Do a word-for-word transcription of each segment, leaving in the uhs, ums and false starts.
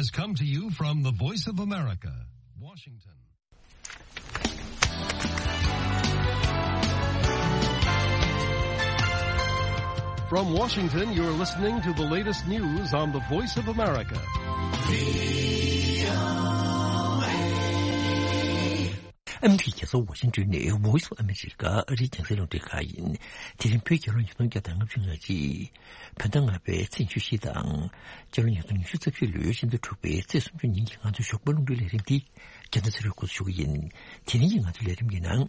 Has come to you from the Voice of America, Washington. From Washington, you're listening to the latest news on the Voice of America. ཨ་མི་རི་ཀའི་རྒྱལ་ས་ཝ་ཤིང་ཏོན་ནས་Voice of America ཨ་རིའི་རྒྱང་སྲིང་རླུང་འཕྲིན་ཁང་ཡིན། དེ་རིང་བོད་རྒྱལ་ལོ་ཉིས་སྟོང་བརྒྱ་དང་ལྔ་བཅུ་ང་གཅིག་བོད་ཟླ་ལྔ་པའི་ཚེས་ཉི་ཤུ་བཞི་དང་། སྤྱི་ལོ་ཉིས་སྟོང་ཉི་ཤུ་རྩ་བཞི་ལོའི་ཕྱི་ཟླ་དྲུག་པའི་ཚེས་སུམ་ཅུ་ཉིན་གྱི་ང་ཚོའི་ཞོགས་པ་རླུང་འཕྲིན་ལས་རིམ་འདི་རྒྱལ་མཚན་ཚེ་རིང་འགོ་འཛུགས་ཞུ་གི་ཡིན། དེ་རིང་གི་ང་ཚོའི་ལས་རིམ་གྱི་ནང་།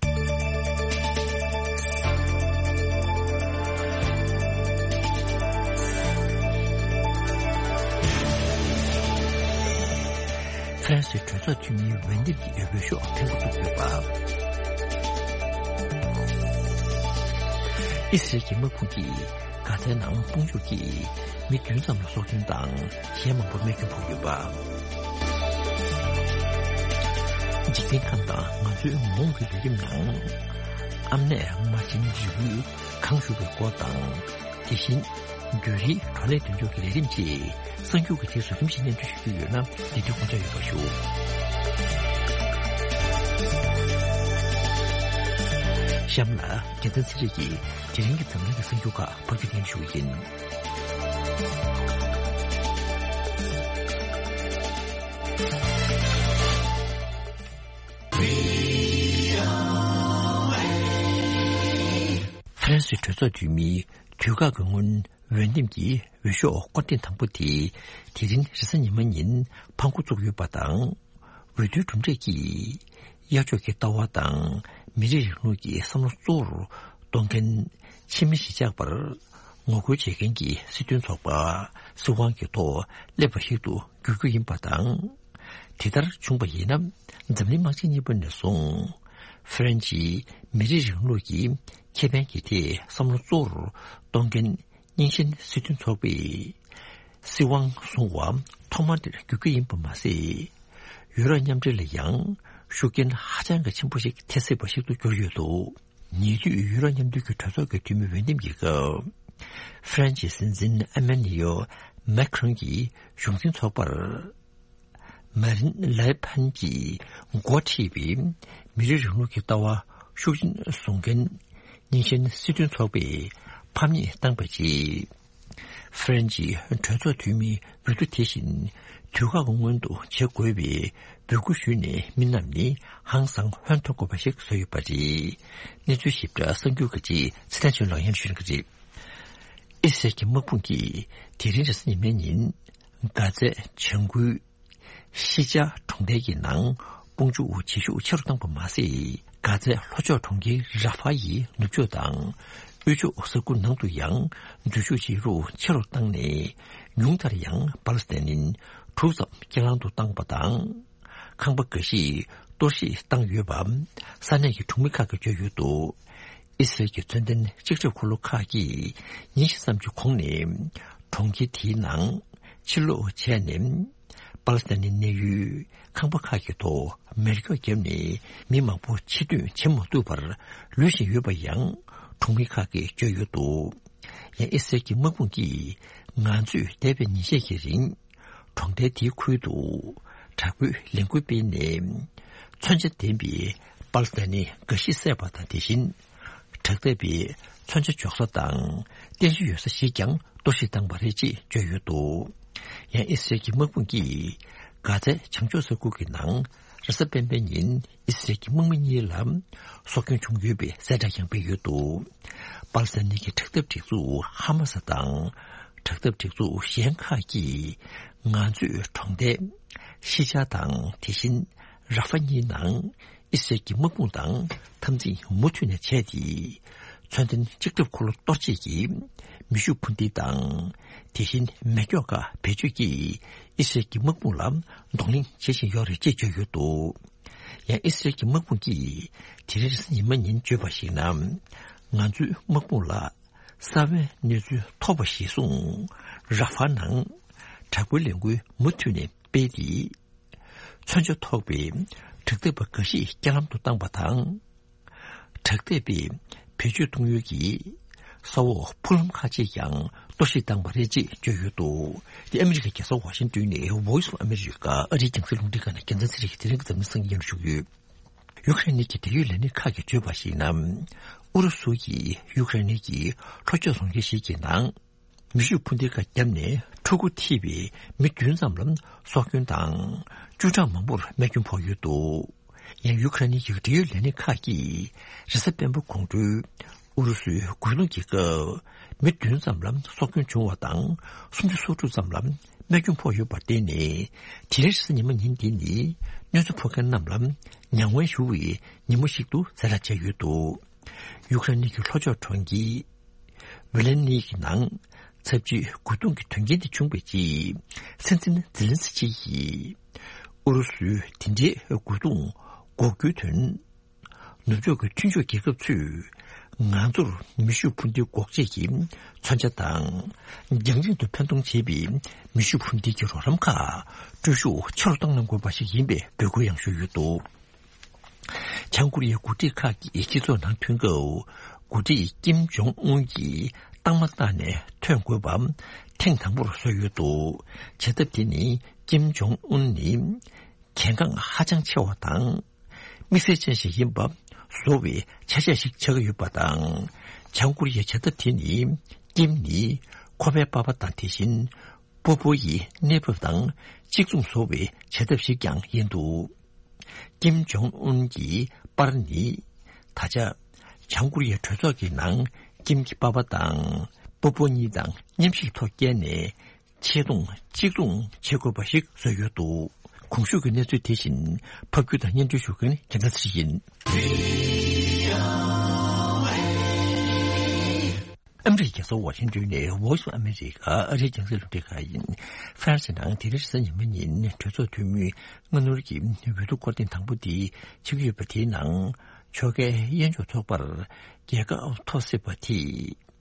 ཧྥ་རན་སིའི་གྲོས་ཚོགས་འཐུས་མིའི་འོས་འདེམས་ཀྱི་འོས་འབུལ་ཤོག་ཐེངས་པ་བཙུགས་ཡོད་པ། ཨི་སི་རལ་གྱི་དམག་དཔུང་གིས་གྷ་ཛའི་ནང་དཔུང་འཇུག་གིས་མི་བདུན་ཙམ་ལ་སྲོག་སྐྱོན་དང་གཞན་མང་པོར་རྨས་སྐྱོན་ཕོག་ཡོད་པ། འཇིག་རྟེན་ཁམས་དང་ང་ཚོའི་མ་འོངས་ཀྱི་ལས་རིམ་ནང་། ཨ་མྲས་མ་བྱིན་རི་བོའི་གངས་བཞུར་བའི་སྐོར་དང་། དེ་བཞིན། བརྒྱུད་རིམ་བགྲོ་གླེང་མདུན་ལྕོག་གི་ལས་རིམ་བཅས་གསར་འགྱུར་གྱི་རྗེས་སུ་རིམ་བཞིན་སྙན་སྒྲོན་ཞུ་རྒྱུ་ཡོད་ན་འདི་དུས་དགོངས་འཇགས་ཡོད་པ་ཞུ། གཤམ་ལ་རྒྱལ་མཚན་ཚེ་རིང་གིས་དེ་རིང་གི་འཛམ་གླིང་གི་གསར་འགྱུར་ཁག་ཕབ་སྒྱུར་སྙན་སྒྲོན་ཞུ་གི་ཡིན། ཧྥ་རན་སིའི་གྲོས་ཚོགས་འཐུས་མིའི་དུས་བཀག་གི་སྔོན་འོས་འདེམས་ཀྱི་འོས་ཤོག་སྐོར་ཐེངས་དང་པོ་དེ་དེ་རིང་རེས་གཟའ་ཉི་མ་ཉིན་ཕར་འགོ་བཙུགས་ཡོད་པ་དང་། འོས་བསྡུའི་གྲུབ་འབྲས་ཀྱིས་གཡག་ཕྱོགས་ཀྱི་ལྟ་བ་དང་མི་རིགས་རིང་ལུགས་ཀྱི་བསམ་བློ་གཙོ་བོར་གཏོང་མཁན་ཕྱི་མི་གཞིས་ཆགས་པར་ངོ་རྒོལ་བྱེད་མཁན་གྱི་སྲིད་དོན་ཚོགས་པ་སྲིད་དབང་གི་ཐོག་སླེབས་པ་ཞིག་ཏུ་འགྱུར་རྒྱུ་ཡིན་པ་དང་། དེ་ལྟར་བྱུང་བ་ཡིན་ན། འཛམ་གླིང་དམག་ཆེན་གཉིས་པ་ནས་བཟུང་། ཧྥ་རན་ཇིའི་མི་རིགས་རིང་ལུགས་ཀྱི་ཁེ་ཕན་གྱི་ཐད་བསམ་བློ་གཙོ་བོར་གཏོང་མཁན་རྙིང་ཞེན་སྲིད་དོན་ཚོགས་པས། སྲིད་དབང་བཟུང་བ་ཐོག་མ་དེར་འགྱུར་རྒྱུ་ཡིན་པ་མ་ཟད། ཡུ་རོབ་མཉམ་འབྲེལ་ལ་ཡང་ཤུགས་རྐྱེན་ཧ་ཅང་གི་ཆེན་པོ་ཞིག་ཐེབས་སྲིད་པ་ཞིག་ཏུ་གྱུར་ཡོད་འདུག་ཉེ་དུས་ཡུ་རོབ་མཉམ་འབྲེལ་གྱི་གྲོས་ཚོགས་ཀྱི་འཐུས་མི་འོས་འདེམས་ཀྱི་སྐབས། ཧྥ་རན་ཇིའི་སྲིད་འཛིན་ཨེ་མན་ནི་ཡོ་མེ་ཁྲོན་གྱིས་གཞུང་འཛིན་ཚོགས་པར། མ་རིན་ལེ་ཕན་གྱིས་འགོ་ཁྲིད་པའི་མི་རིགས་རིང་ལུགས་ཀྱི་ལྟ་བ་ཤུགས་ཆེན་བཟུང་མཁན་རྙིང་ཞེན་སྲིད་དོན་ཚོགས་པས་ཕམ་ཉེས་བཏང་པའི་རྗེས། ཧྥ་རན་ཇིའི་གྲོས་ཚོགས་འཐུས་མིའི་འོས་བསྡུ་དེ་བཞིན་དུས་བཀག་གི་སྔོན་དུ་བྱེད་དགོས་པའི་འབོད་སྐུལ་ཞུས་ནས་མི་རྣམས་ནི་ཧང་སང་ཧོན་ཐོར་དགོས་པ་ཞིག་བཟོས་ཡོད་པ་རེད། གནས་ཚུལ་ཞིབ་ཕྲ་གསར་འགྱུར་གྱི་རྗེས་ཚེ་བརྟན་ཆོས་ལགས་སྙན་ཞུ་གནང་གི་རེད། ཨི་སི་རལ་གྱི་དམག་དཔུང་གིས་དེ་རིང་རེས་གཟའ་ཉི་མའི་ཉིན། གྷ་ཛའི་བྱང་ཁུལ་ཤི་ཅཱ་གྲོང་རྡལ་གྱི་ནང་དཔུང་འཇུག་བྱེད་ཤུགས་ཆེ་རུ་བཏང་པ་མ་ཟད། གྷ་ཛའི་ལྷོ་ཕྱོགས་གྲོང་ཁྱེར་ར་ཧྥ་ཡི་ནུབ་ཕྱོགས་དང་། དབུས་ཕྱོགས་ས་ཁུལ་ནང་དུ་ཡང་འཛུལ་ཞུགས་བྱེད་རྒྱུ་ཆེ་རུ་བཏང་ནས། ཉུང་མཐར་ཡང་པ་ལི་སི་ཐན་ནི་དྲུག་ཙམ་རྐྱེན་ལམ་དུ་བཏང་པ་དང་། ཁང་པ་འགའ་ཤས་གཏོར་བཤིག་བཏང་ཡོད་པ། ས་གནས་ཀྱི་གྲོང་མི་ཁག་གིས་བརྗོད་ཡོད་འདུག་ཨི་སི་རལ་གྱི་མཚོན་ལྡན་ལྕགས་ཁྲབ་འཁོར་ལོ་ཁག་གིས་ཉིན་ཤས་ཙམ་གྱི་གོང་ནས་གྲོང་ཁྱེར་དེའི་ནང་ཕྱིར་ལོག་བྱས་ནས། པ་ལི་སི་ཐན་ནི་གནས་ཡུལ་ཁང་པ་ཁག་གི་ཐོག་མེ་སྒྱོགས་བརྒྱབ་ནས་མི་མང་པོ་ཕྱིར་ཐོན་བྱེད་མ་ཐུབ་པར་ལུས་བཞིན་ཡོད་པ་ཡང་གྲོང་མི་ཁག་གིས་བརྗོད་ཡོད་འདུག་ཡང་ཨི་སི་རལ་གྱི་དམག་དཔུང་གིས་ང་ཚོས་འདས་པའི་ཉིན་ཤས་ཀྱི་རིང་། གྲོང་རྡལ་དེའི་ཁུལ་དུ་དྲག་པོའི་ལས་འགུལ་སྤེལ་ནས། མཚོན་ཆ་ལྡན་པའི་པ་ལི་སི་ཐན་ནི་འགའ་ཞིག་བསད་པ་དང་། དེ་བཞིན་དྲག་འཐབ་པའི་མཚོན་ཆ་འཇོག་ས་དང་རྟེན་གཞི་ཡོད་ས་ཞིག་ཀྱང་གཏོར་བཤིག་བཏང་བ་རེད་ཅེས་བརྗོད་ཡོད་འདུག་ཡང་ཨི་སི་རལ་གྱི་དམག་དཔུང་གིས་གྷ་ཛའི་བྱང་ཕྱོགས་ས་ཁུལ་གྱི་ནང་རེས་གཟའ་སྤེན་པའི་ཉིན་ཨི་སི་རལ་གྱི་དམག་མི་གཉིས་ལ་སྲོག་སྐྱོན་བྱུང་ཡོད་པའི་གསལ་བསྒྲགས་ཀྱང་སྤེལ་ཡོད་འདུག་པ་ལི་སི་ཐན་ནི་གི་དྲག་འཐབ་སྒྲིག་འཛུགས་ཧ་མ་སི་དང་། དྲག་འཐབ་སྒྲིག་འཛུགས་གཞན་ཁག་གིས་ང་ཚོས་གྲོང་རྡལ་ཤི་ཅཱ་དང་དེ་བཞིན་ར་ཧྥ་གཉིས་ནང་ཨི་སི་རལ་གྱི་དམག་དཔུང་དང་འཐབ་འཛིང་མུ་མཐུད་ནས་བྱས་ཏེ། མཚོན་ལྡན་ལྕགས་ཁྲབ་འཁོར་ལོ་གཏོར་བྱེད་ཀྱི་མེ་ཤུགས་འཕུར་མདེལ་དང་། དེ་བཞིན་མེ་སྒྱོགས་ཁག་བེད་སྤྱོད་ཀྱིས་ཨི་སི་རལ་གྱི་དམག་དཔུང་ལ་གདོང་ལེན་བྱེད་བཞིན་ཡོད་རེད་ཅེས་བརྗོད་ཡོད་འདུག་ཡང་ཨི་སི་རལ་གྱི་དམག་དཔུང་གིས་དེ་རིང་རེས་གཟའ་ཉི་མ་ཉིན་བརྗོད་པར་གཞིགས་ན། ང་ཚོའི་དམག་དཔུང་ལ། གསར་བའི་གནས་ཚུལ་ཐོབ་པ་གཞིར་བཟུང་། ར་ཧྥ་ནང་དྲག་པོའི་ལས་འགུལ་མུ་མཐུད་ནས་སྤེལ་ཏེ། མཚོན་ཆ་ཐོགས་པའི་དྲག་འཐབ་པ་འགའ་ཤས་རྐྱེན་ལམ་དུ་བཏང་པ་དང་། དྲག་འཐབ་པས་བེད་སྤྱོད་གཏོང་ཡུལ་གྱི་ ས་འོག་ཕུག་ལམ་ཁག་ཅིག་ཀྱང་གཏོར་བཤིག་བཏང་བ་རེད་ཅེས་བརྗོད་ཡོད་འདུག་དེ་ཨ་མི་རི་ཀའི་རྒྱལ་ས་ཝ་ཤིང་ཏོན་ནས་Voice of America ཨ་རིའི་རྒྱང་སྲིང་རླུང་འཕྲིན་ཁང་ནས་རྒྱལ་མཚན་ཚེ་རིང་གིས་དེ་རིང་གི་འཛམ་གླིང་སང་ཉིན་ཞུ་གི་ཡོད། ཡུ་ཀེ་རེན་གྱི་འབྲེལ་ཡོད་ལས་སྣེ་ཁག་གིས་བརྗོད་པར་གཞིགས་ན། ཨུ་རུ་སུ་ཡིས་ཡུ་ཀེ་རེན་གྱི་ལྷོ་ཕྱོགས་རྫོང་ཁྱེར་ཞིག་གི་ནང་མེ་ཤུགས་འཕུར་མདེལ་ཁག་བརྒྱབ་ནས་ཕྲུ་གུ་ཐེ་བའི་མི་བདུན་ཙམ་ལ་སྲོག་སྐྱོན་དང་། བཅུ་གྲངས་མང་པོར་རྨས་སྐྱོན་ཕོག་ཡོད་འདུག་ཡང་ཡུ་ཀེ་རེན་གྱི་འབྲེལ་ཡོད་ལས་སྣེ་ཁག་གིས་རེས་གཟའ་སྤེན་པ་དགོང་དྲོའི་ཨུ་རུ་སུའི་རྒོལ་རྡུང་གི་སྐབས་མི་བདུན་ཙམ་ལ་སྲོག་སྐྱོན་བྱུང་བ་དང་། སུམ་ཅུ་སོ་དྲུག་ཙམ་ལ་རྨས་སྐྱོན་ཕོག་ཡོད་པར་བརྟེན་ནས། དེ་རིང་རེས་གཟའ་ཉི་མ་ཉིན་འདི་ནི་གནོད་འཚེ་ཕོག་མཁན་རྣམས་ལ་མྱ་ངན་ཞུ་བའི་ཉིན་མོ་ཞིག་ཏུ་གསལ་བསྒྲགས་བྱས་ཡོད་འདུག་ཡུ་ཀེ་རེན་གྱི་ལྷོ་ཕྱོགས་གྲོང་ཁྱེར་ཝི་ལན་ནི་གི་ནང་ཚབས་ཆེའི་རྒོལ་རྡུང་གི་དོན་རྐྱེན་དེ་བྱུང་བའི་རྗེས། སྲིད་འཛིན་ཛེ་ལན་སི་ཀི་ཡིས་ཨུ་རུ་སུའི་དེ་འདྲའི་རྒོལ་རྡུང་འགོག་རྒྱུའི་དོན། ནུབ་ཕྱོགས་ཀྱི་མཐུན་ཕྱོགས་རྒྱལ་ཁབ་ཚོས་ང་ཚོར་མེ་ཤུགས་འཕུར་མདེལ་འགོག་བྱེད་ཀྱི་མཚོན་ཆ་དང་། རྒྱང་རིང་དུ་འཕེན་གཏོང་བྱེད་པའི་མེ་ཤུགས་འཕུར་མདེལ་གྱི་རོགས་རམ་ཁག་སྤྲོད་ཤུགས་ཆེ་རུ་བཏང་གནང་དགོས་པ་ཞིག་ཡིན་པའི་འབོད་སྐུལ་ཡང་ཞུས་ཡོད་འདུག་བྱང་ཀོ་རི་ཡའི་འགོ་ཁྲིད་ཁག་གིས་སྤྱི་ཚོགས་ནང་ཐོན་སྐབས། འགོ་ཁྲིད་ཀིམ་ཇོང་ཨུན་གྱིས་རྟགས་མ་བཏགས་ནས་ཐོན་དགོས་པ་ཐེངས་དང་པོར་བཟོས་ཡོད་འདུག་བྱེད་ཐབས་དེ་ནི་ཀིམ་ཇོང་ཨུན་ནི་གལ་འགངས་ཧ་ཅང་ཆེ་བ་དང་། དམིགས་བསལ་ཅན་ཞིག་ཡིན་པ་བཟོ་བའི་ཆ་ཤས་ཤིག་ཆགས་ཀྱི་ཡོད་པ་དང་། བྱང་ཀོ་རི་ཡའི་བྱེད་ཐབས་དེ་ནི་ཀིམ་ནི་ཁོ་པའི་པ་ཕ་དང་དེ་བཞིན་པོ་པོ་ཡི་གནས་བབ་དང་གཅིག་མཚུངས་བཟོ་བའི་བྱེད་ཐབས་ཤིག་ཀྱང་ཡིན་འདུག་ཀིམ་ཇོང་ཨུན་གྱི་པར་ནི། ད་ཆ་བྱང་ཀོ་རི་ཡའི་གྲོས་ཚོགས་ཀྱི་ནང་ཀིམ་གྱི་པ་ཕ་དང་པོ་པོ་གཉིས་དང་མཉམ་ཞུགས་ཐོག་བསྐྱལ་ནས། ཆེ་མཐོང་གཅིག་མཚུངས་བྱེད་དགོས་པ་ཞིག་བཟོས་ཡོད་འདུག་གོང་ཞུས་ཀྱི་གནས་ཚུལ་དེ་བཞིན་ཕབ་སྒྱུར་དང་སྙན་སྒྲོན་ཞུ་མཁན་རྒྱལ་མཚན་ཚེ་རིང་ཡིན། ཨ་མི་རི་ཀའི་རྒྱལ་ས་ཝ་ཤིང་ཏོན་ནས་Voice of America ཨ་རིའི་རྒྱང་སྲིང་རླུང་འཕྲིན་ཁང་ཡིན། ཧྥ་རན་སིའི་ནང་དེ་རིང་རེས་གཟའ་ཉི་མ་ཉིན་གྲོས་ཚོགས་འཐུས་མིའི་སྔ་སྣུར་གྱི་འོས་བསྡུ་སྐོར་ཐེངས་དང་པོ་དེ་བྱེད་ཀྱི་ཡོད་པ་དེའི་ནང་ཕྱོགས་འགལ་གཡས་འཇོག་ཚོགས་པར་རྒྱལ་ཁ་ཐོབ་སྲིད་པ་དེས།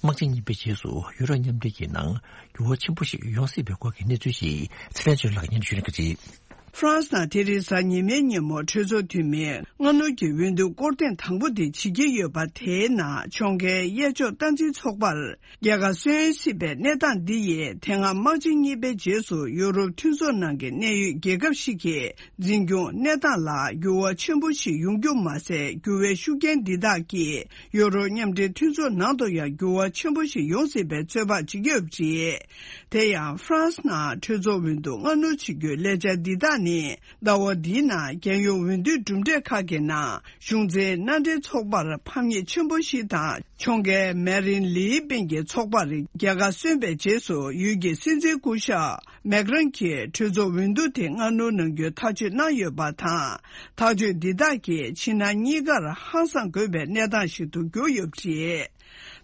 དམག་ཆེན་གཉིས་པའི་རྗེས་སུ་ཡུ་རོབ་མཉམ་འབྲེལ་གྱི་ནང་འགྱུར་བ་ཆེན་པོ་ཞིག་ཡོང་སྲིད་པའི་སྐོར་གྱི་གནས་ཚུལ་ཞིག་ཚེ་ལྷན་ཆོས་ལགས་སྙན་ཞུ་ལེན་གྱི་རེད། ཧྥ་རན་སི་ནང་དེ་རིང་གཟའ་ཉི་མའི་ཉིན་མོ་གྲོས་ཚོགས་འཐུས་མིའི་སྔ་སྣུར་གྱི་འོས་བསྡུ་སྐོར་ཐེངས་དང་པོ་དེ་བྱེད་ཀྱི་ཡོད་པ། དེའི་ནང་ཕྱོགས་འགལ་གཡས་ཕྱོགས་སྟངས་འཛིན་ཚོགས་པར་རྒྱལ་ཁ་སོན་སྲིད་པའི་གནས་སྟངས་འདི་ཡིས་དེ་སྔ་དམག་ཆེན་གཉིས་པའི་རྗེས་སུ་ཡུ་རོབ་མཐུན་ཚོགས་ནང་གི་གནད་ཡོད་རྒྱལ་ཁབ་ཞིག་གི་འཛིན་སྐྱོང་གནས་སྟངས་ལ་འགྱུར་བ་ཆེན་པོ་ཞིག་ཡོང་རྒྱུ་མ་ཟད། འགྱུར་བའི་ཤུགས་རྐྱེན་འདི་དག་གིས་ཡུ་རོབ་མཉམ་འབྲེལ་མཐུན་ཚོགས་ནང་དུ་ཡང་འགྱུར་བ་ཆེན་པོ་ཞིག་ཡོང་སྲིད་པའི་ཚོད་དཔག་བྱེད་ཀྱི་ཡོད་པ་རེད། དེ་ཡང་ཧྥ་རན་སི་ནང་གྲོས་ཚོགས་འོས་བསྡུ་སྔ་སྣུར་བྱེད་རྒྱུའི་ལས་འཆར་འདི་དག་ནི། ཟླ་བ་འདིའི་ནང་རྒྱལ་ཡོངས་འོས་བསྡུའི་གྲུབ་འབྲས་ཁག་གི་ནང་གཞུང་འཛིན་མནའ་འབྲེལ་ཚོགས་པར་ཕམ་ཉེས་ཆེན་པོ་ཞིག་དང་། ཕྱོགས་འགལ་མེ་རིན་ལི་པེན་གྱི་ཚོགས་པར་རྒྱལ་ཁ་སོན་པའི་རྗེས་སུ། ཡུལ་གྱི་སྲིད་འཛིན་སྐུ་ཞབས་མེག་རན་གྱིས་གྲོས་ཚོགས་འོས་བསྡུ་དེ་སྔ་སྣུར་གནང་རྒྱུའི་ཐག་གཅོད་གནང་ཡོད་པ་དང་། ཐག་གཅོད་འདི་དག་གིས་ཕྱི་ནང་གཉིས་ཀར་ཧང་སངས་དགོས་པའི་གནས་སྟངས་ཤིག་ཏུ་གྱུར་ཡོད་པ་རེད།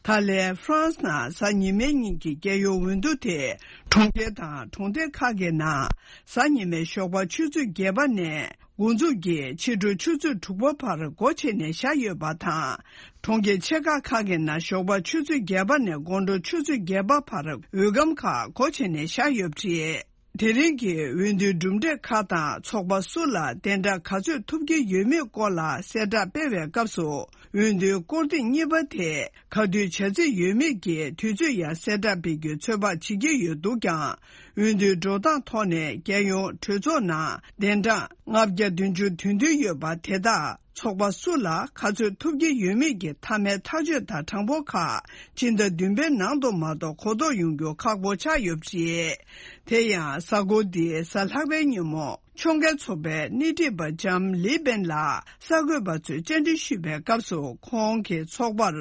ད་ལན་ཧྥ་རན་སི་ནང་གཟའ་ཉི་མའི་ཉིན་གྱི་རྒྱལ་ཡོངས་འོས་བསྡུ་དེ་གྲོང་ཁྱེར་དང་གྲོང་རྡལ་ཁག་གི་ནང་གཟའ་ཉི་མའི་ཞོགས་པ་ཆུ་ཚོད་བརྒྱད་པ་ནས་འགོ་འཛུགས་ཀྱིས་ཕྱི་དྲོ་ཆུ་ཚོད་དྲུག་པ་བར་སྒོ་ཕྱེ་ནས་བཞག་ཡོད་པ་དང་། གྲོང་ཁྱེར་ཆེ་ཁག་ཁག་གི་ནང་ཞོགས་པ་ཆུ་ཚོད་བརྒྱད་པ་ནས་དགོང་དྲོ་ཆུ་ཚོད་བརྒྱད་པ་བར་འོས་སྒམ་ཁག་སྒོ་ཕྱེ་ནས་བཞག་ཡོད་པ་རེད། དེ་རིང་གི་འོས་བསྡུའི་གྲུབ་འབྲས་ཁག་དང་ཚོགས་པ་སུ་ལ་གདན་འདྲེན་ག་ཚོད་ཐོབ་ཀྱི་ཡོད་མེད་སྐོར་ལ་གསལ་བསྒྲགས་སྤེལ་བའི་སྐབས་སུ། འོས་བསྡུའི་སྐོར་ཐེངས་གཉིས་པ་དེ་ག་དུས་བྱ་རྩིས་ཡོད་མེད་ཀྱི་དུས་ཚོད་ཡང་གསལ་བསྒྲགས་སྤེལ་རྒྱུའི་ཚོད་དཔག་བྱེད་ཀྱི་ཡོད་འདུག་ཀྱང་། འོས་བསྡུའི་འགྲོ་སྟངས་ཐོག་ནས་རྒྱལ་ཡོངས་གྲོས་ཚོགས་ནང་གདན་འདྲེན་ལྔ་བརྒྱ་བདུན་ཅུ་དོན་བདུན་ཡོད་པ་དེ་དག་ཚོགས་པ་སུ་ལ་ག་ཚོད་ཐོབ་ཀྱི་ཡོད་མེད་ཀྱི་མཐའ་མའི་ཐག་གཅོད་དང་གྲངས་འབོར་ཁག་ཕྱི་ཟླ་བདུན་པའི་ནང་དུ་མ་གཏོགས་གོ་རྟོགས་ཡོང་རྒྱུ་ཁག་པོ་ཆགས་ཡོད་པ་རེད། དེ་ཡང་གཟའ་འཁོར་འདིའི་གཟའ་ལྷག་པའི་ཉིན་མོ། ཕྱོགས་འགལ་ཚོགས་པའི་སྣེ་ཁྲིད་པ་ལྕམ་ལི་པེན་ལ་གསར་འགོད་པ་ཚོས་བཅར་འདྲི་ཞུས་པའི་སྐབས་སུ། ཁོང་གིས་ཚོགས་པར་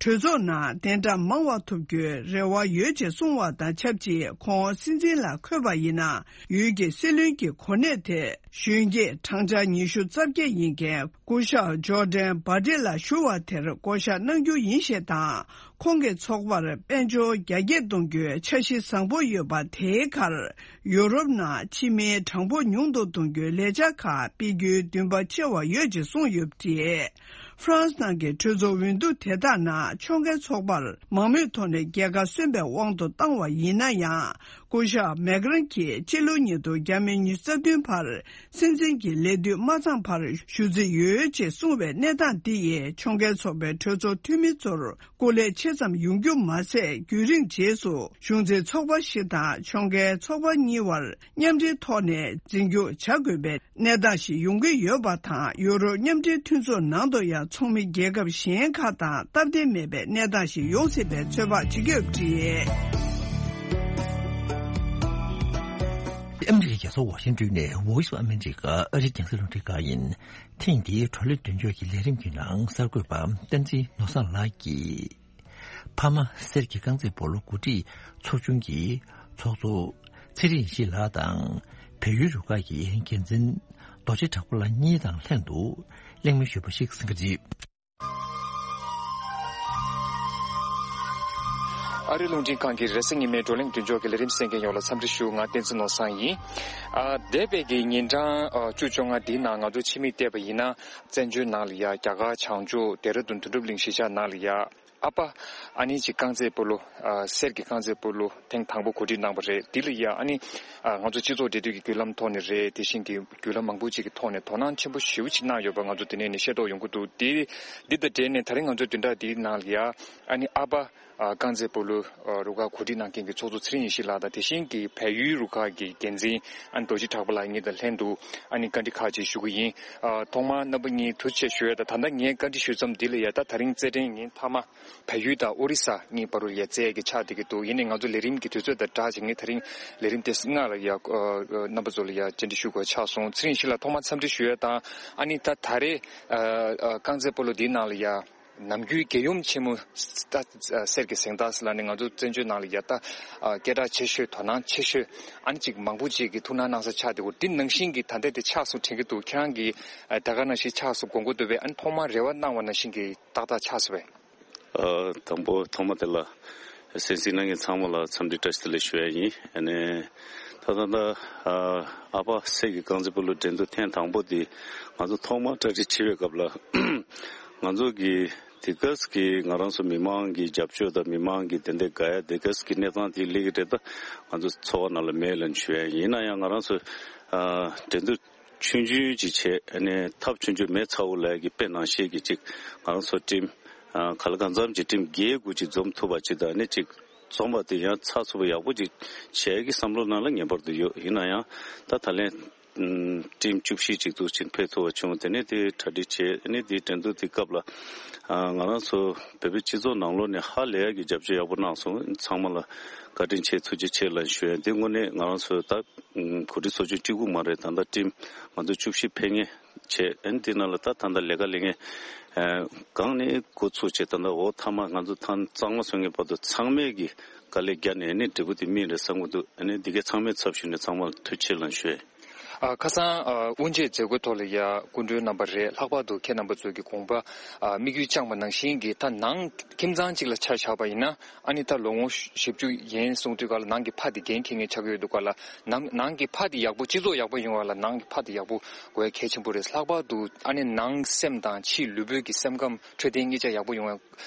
གྲོས་ཚོགས་ནང་གདན་འདྲེན་མང་བ་ཐོབ་རྒྱུའི་རེ་བ་ཡོད་ཅེས་གསུངས་བ་དང་ཆབས་ཅིག་ཁོང་སྲིད་འཛིན་ལ་འཁོད་པ་ཡིན་ན། ཡུལ་གྱི་སྲིད་བློན་གྱི་གོ་གནས་དེ་གཞོན་སྐྱེས་གྲངས་ཆ་ཉི་ཤུ་རྩ་བརྒྱད་ཡིན་མཁན་སྐུ་ཞབས་ཇོར་ཌན་བྷ་ཏི་ལ་ཞུ་བ་དེར་བསྐོ་བཞག་གནང་རྒྱུ་ཡིན་ཞེས་དང་། ཁོང་གི་ཚོགས་པར་དཔལ་འབྱོར་རྒྱ་སྐྱེད་གཏོང་རྒྱུའི་འཆར་གཞི་བཟང་པོ་ཡོད་པ་དེའི་ཁར། ཡུ་རོབ་ནང་ཕྱི་མིའི་གྲངས་འབོར་ཉུང་དུ་གཏོང་རྒྱུའི་ལས་འཆར་ཁག་སྤེལ་རྒྱུའི་འདུན་པ་ཆེ་བ་ཡོད་ཅེས་གསུངས་ཡོད་པ་རེད། ཧྥ་རན་སི་ནང་གི་གྲོས་ཚོགས་འོས་བསྡུ་དེ་དག་ནང་ཕྱོགས་འགལ་ཚོགས་པར་མང་མོས་ཐོག་ནས་རྒྱལ་ཁ་སོན་པའི་དབང་དུ་བཏང་བ་ཡིན་ན་ཡང་། སྐུ་ཞབས་མེག་རན་གྱིས་ཕྱི་ལོ་ཉིས་སྟོང་ཉི་ཤུ་རྩ་བདུན་བར་སྲིད་འཛིན་གྱི་ལས་དུས་མ་ཚང་བར་ཞུ་རྩིས་ཡོད་ཅེས་གསུངས་པའི་གནས་སྟངས་འདི་ཡིས་ཕྱོགས་འགལ་ཚོགས་པའི་གྲོས་ཚོགས་འཐུས་མི་ཚོར་སྐུ་ལས་ཆེ་ཙམ་ཡོང་རྒྱུ་མ་ཟད། རྒྱུན་རིང་རྗེས་སུ་གཞུང་འཛིན་ཚོགས་པ་ཞིག་དང་ཕྱོགས་འགལ་ཚོགས་པ་གཉིས་བར་མཉམ་འབྲེལ་ཐོག་ནས་འཛིན་སྐྱོང་བྱ་དགོས་པའི་གནས་སྟངས་ཤིག་ཡོང་གི་ཡོད་པ་དང་། ཡུ་རོབ་མཉམ་འབྲེལ་མཐུན་ཚོགས་ནང་དུ་ཡང་ཚོགས་མི་རྒྱལ་ཁབ་གཞན་ཁག་དང་སྟབས་བདེ་མེད་པའི་གནས་སྟངས་ཤིག་ཡོང་སྲིད་པའི་ཚོད་དཔག་བྱེད་ཀྱི་ཡོད་པ་རེད། ཨ་མི་རི་ཀའི་རྒྱལ་ས་ཝ་ཤིང་ཏོན་ནས་Voice of America ཨ་རིའི་རྒྱང་སྲིང་རླུང་འཕྲིན་ཁང་ཡིན། ཐེངས་འདིའི་བགྲོ་གླེང་མདུན་ཅོག་གི་ལས་རིམ་གྱི་ནང་གསར་འགོད་པ་བསྟན་འཛིན་ནོར་བཟང་ལགས་ཀྱིས། ཕ་མ་གསེར་གྱི་རྐང་རྩེད་སྤོ་ལོ་འགོ་ཁྲིད་ཚོགས་ཆུང་གི་ཚོགས་གཙོ་ཚེ་རིང་ཡེ་ཤེས་ལགས་དང་། བལ་ཡུལ་རུ་ཁག་གི་འགན་འཛིན་རྡོ་རྗེ་གྲགས་པ་ལགས་གཉིས་དང་ལྷན་དུ་གླེང་མོལ་ཞུས་པ་ཞིག་གསན་གྱི་རེད། ཨ་རིའི་རླུང་འཕྲིན་ཁང་གི་རེས་གཟའ་ཉི་མའི་བགྲོ་གླེང་མདུན་ཅོག་གི་ལས་རིམ་གསན་མཁན་ཡོངས་ལ་འཚམས་འདྲི་ཞུ། ང་བསྟན་འཛིན་ནོར་བཟང་ཡིན། ཨ། འདས་པའི་གི་ཉིན་གྲངས་ཨ་བཅུ་བཅོ་ལྔ་འདིའི་ནང་ང་ཚོ་ཕྱི་མིག་བལྟས་པ་ཡིན་ན། བཙན་བྱོལ་ནང་ལ་ཡ་རྒྱ་གར་བྱང་ཕྱོགས་ལྡེ་ར་ལྡུན་དོན་གྲུབ་གླིང་གཞིས་ཆགས་ནང་ལ་ཡ། ཨ་ཕ་ཨ་ནི་ཅིག་རྐང་རྩེད་སྤོ་ལོ། ཨ། གསེར་གྱི་རྐང་རྩེད་སྤོ་ལོ་ཐེངས་དང་པོ་གོ་སྒྲིག་གནང་བ་རེད། འདི་ལ་ཡ་ཨ་ནི། ཨ། ང་ཚོ་སྤྱི་ཚོགས་འབྲེལ་མཐུད་ཀྱི་བརྒྱུད་ལམ་ཐོག་ནས་རེད། དེ་བཞིན་གྱི་བརྒྱུད་ལམ་མང་པོ་ཅིག་གི་ཐོག་ནས་དོ་སྣང་ཆེན་པོ་ཞེ་པོ་ཅིག་གནང་ཡོད་པ་ང་ཚོ་དེ་ནས་ནས་ཤེས་རྟོགས་ཡོང་གི་འདུག། དེ་འདི་དང་འབྲེལ་ནས་ད་རིང་ང་ཚོའི་བདུན་ཕྲག་འདིའི་ནང་ལ་ཡ་ཨ་ནི་ཨ་ཕ། ཨ། རྐང་རྩེད་སྤོ་ལོ། ཨ། རུ་ཁག་གོ་སྒྲིག་གནང་མཁན་གྱི་ཚོགས་གཙོ་ཚེ་རིང་ཡེ་ཤེས་ལགས་དང་། དེ་བཞིན་གྱི་བལ་ཡུལ་རུ་ཁག་གི་འགན་འཛིན་ཨ་ནི་རྡོ་རྗེ་གྲགས་པ་ལགས་གཉིས་དང་ལྷན་དུ་ཨ་ནི་བཀའ་འདྲི་ཁག་ཅིག་ཞུ་གི་ཡིན། ཨ། ཐོག་མར་རྣམ་པ་གཉིས་ཐུགས་རྗེ་ཆེ་ཞུ་ཡ་དང་། ད་ལྟ་ངས་བཀའ་འདྲི་ཞུ་མཚམས་འདི་ལ་ཡ། ད་ད་རིང་རྩེད་འགྲན་ཡིན། མཐའ་མ་བལ་ཡུལ་དང་ཨོ་རི་ས་གཉིས་བར་དུ་ཡ་རྩེད་ཡ་གི་ཆགས་བསྡད་ཀྱི་འདུག། ཡིན་ནའི་ང་ཚོ་ལས་རིམ་གྱི་དུས་ཚོད་དང་སྦྲགས་བྱས་ངས་ད་རིང་ལས་རིམ་དེ་སྔ་ལ་ཡ། ཨ། རྣམ་པ་ཚོ་ལ་ཡ་བཅར་འདྲི་ཞུ་དགོས་ཆགས་སོང་། ཚེ་རིང་ཡེ་ཤེས་ལགས་ཐོག་མར་འཚམས་འདྲི་ཞུ་ཡ་དང་། ཨ་ནི་ད་ད་རེས། ཨ། ཨ། རྐང་རྩེད་སྤོ་ལོ་འདིའི་ནང་ལ་ཡ། ནམ་རྒྱུན་རྒྱལ་ཡུམ་ཆེན་མོ་ད་གསེར་གྱི་གཟེངས་རྟགས་ཟེར་ལབ་ནས་ང་ཚོ་བཙན་བྱོལ་ནང་ལ་ཡ་ད་སྐད་གྲགས་ཆེ་ཤོས་དོ་སྣང་ཆེ་ཤོས་ཨ་ནི་ཅིག་མང་པོ་ཅིག་གིས་ཐུགས་སྣང་གནང་ས་ཆགས་བསྡད་ཡོད། འདི་ནང་བཞིན་གྱི་ད་ལྟ་དེ་ཆགས་སོང་དྲན་གྱི་འདུག། ཁྱེད་རང་གིས་ད་ག་ནང་བཞིན་ཆགས་སོང་དགོངས་ཀྱི་འདུག་པས། ཨ་ནི་ཐོག་མར་རེ་བ་གནང་བ་ནང་བཞིན་གྱི་ཏག་ཏག་ཆགས་སོང་པས། ཨ། དང་པོ་ཐོག་མ་དེ་ལ་གསན་གཟིགས་གནང་མཁན་ཚང་མ་ལ་འཚམས་འདྲི་བཀྲ་ཤིས་བདེ་ལེགས་ཞུ་ཡ་ཡིན། ཨ་ནི་ད་ད་ད་ཨ་ཕ་གསེར་གྱི་རྐང་རྩེད་སྤོ་ལོ་འགྲན་བསྡུར་ཐེངས་དང་པོ་དེ་ང་ཚོ་ཐོག་མར་གྲ་སྒྲིག་བྱེད་པའི་སྐབས་ལ། ང་ཚོ་གི་དེ་ག་ཙམ་གྱི་ང་རང་ཚོ་མི་མང་གི་རྒྱབ་སྐྱོར་དང་མི་མང་གི་དེ་འདྲའི་དགའ་ཡ་དེ་ག་ཙམ་གྱི་གནས་སྟངས་དེ་སླེབས་ཀྱི་རེད། ད་ང་ཚོ་ཚོར་བ་ནང་ལ་མེད་ལབ་ཞུ་ཡ་ཡིན། ཡིན་ན་ཡང་ང་རང་ཚོ་ཨ་འགྲན་བསྡུར་ཆུང་ཆུང་ཅིག་བྱས། ཨ་ནི་ཐབས་ཆུང་ཆུང་མེ་ཚ་བོ་ལབ་ཡ་གི་དཔེ་ནང་བཞིན་གྱི་ཅིག་ང་རང་ཚོ་ཊིམ་ཨ་ག་ལ་གང་འཚམ་གྱི་ཊིམ་བརྒྱད་དགུ་ཅིག་འཛོམས་ཐུབ་པ་ཅིག་དང་། ཨ་ནི་ཅིག་འཛོམས་པ་དེ་ཡང་ཚགས་ཚུད་པོ་ཡག་པོ་ཅིག་བྱེད་ཡ་གི་བསམ་བློ་ནང་ལ་ངེས་པར་དུ་ཡོད། ཡིན་ན་ཡང་ད་ད་ལན་ཨམ་ཊིམ་བཅུ་བཞི་ཅིག་འདུག་ཕྱིན་ཕེབས་ཐུབ་པ་བྱུང་། དེ་ནས་དེ་གྲ་སྒྲིག་བྱས། ཨ་ནི་དེའི་འགྲན་བསྡུར་དེ་སྐབས་ལ་ཨ་ང་རང་ཚོ་བོད་པའི་སྤྱི་ཚོགས་ནང་ལོགས་ནས་ཧ་ལས་ཡ་གི་རྒྱབ་སྐྱོར་ཡག་པོ་གནང་སོང་། ཚང་མ་ལ་བཀའ་དྲིན་ཆེ་ཐུགས་རྗེ་ཆེ་ལབ་ཞུ་ཡ། དེ་དངོས་གནས་ང་རང་ཚོའི་ད་གོ་སྒྲིག་ཚོགས་ཆུང་གཅིག་པུ་མ་རེད། ད་ལྟ་ཊིམ་ང་ཚོ་བཅུ་བཞི་ཕེབས་མཁན་བྱས། ཨ་ནི་དེ་ནང་ལ་ད་ད་ལྟ་ལས་ཀ་ལས་མཁན་ཨ་གང་ནས་འགོ་ཚུགས་བྱས། ད་ལྟ་འོ་མཐའ་མ་ང་ཚོ་ཐང་གཙང་མ་བཟོ་མཁན་བར་དུ་ཚང་མས་ཀྱི་དཀའ་ལས་བརྒྱབ་ནས་ཨ་ནི་འབྲས་བུ་དེ་སྨིན་རེད་བསམ་གྱི་འདུག། ཨ་ནི་འདི་གའི་ཚང་མའི་ཚབ་ཞུས་ནས་ཚང་མ་ལ་ཐུགས་རྗེ་ཆེ་ལབ་ཞུ་ཡ། ཨ། ཁ་སང་ཨ་དབུ་འབྱེད་མཛད་སྒོའི་ཐོག་ལ་ཡ་སྐུ་མགྲོན་རྣམ་པ་རེད། ལྷག་པར་དུ་ཁྱེད་རྣམ་པ་ཚོས་ཀྱི་དགོངས་པ་ཨ་དམིགས་ཡུལ་བཅངས་པ་ནང་བཞིན་གྱི། ད་ནང་ཁྱིམ་ཚང་གཅིག་ལ་ཆ་བཞག་པ་ཡིན་ན། ཨ་ནི་ད་ལོ་ངོ་བཞི་བཅུ་ཡན་སོང་དུས་ག་ལ་ནང་གི་ཕ་དེ་འགན་འཁྱེར་མཁན་ཆགས་ཀྱི་ཡོད་འདུག་ག་ལ། ནང་ནང་གི་ཕ་དེ་ཡག་པོ། སྤྱི་ཚོགས་ཡག་པོ་ཡོང་བ་ལ་ནང་གི་ཕ་དེ་ཡག་པོ་དགོས་ཡ་གལ་ཆེན་པོ་རེད། ལྷག་པར་དུ་ཨ་ནི་ནང་སེམས་དང་ཕྱིའི་ལུས་པོའི་གི་སེམས་ཁམས་འཕྲོད་བསྟེན་གཉིས་ཆ་ཡག་པོ་ཡོང་ཡ་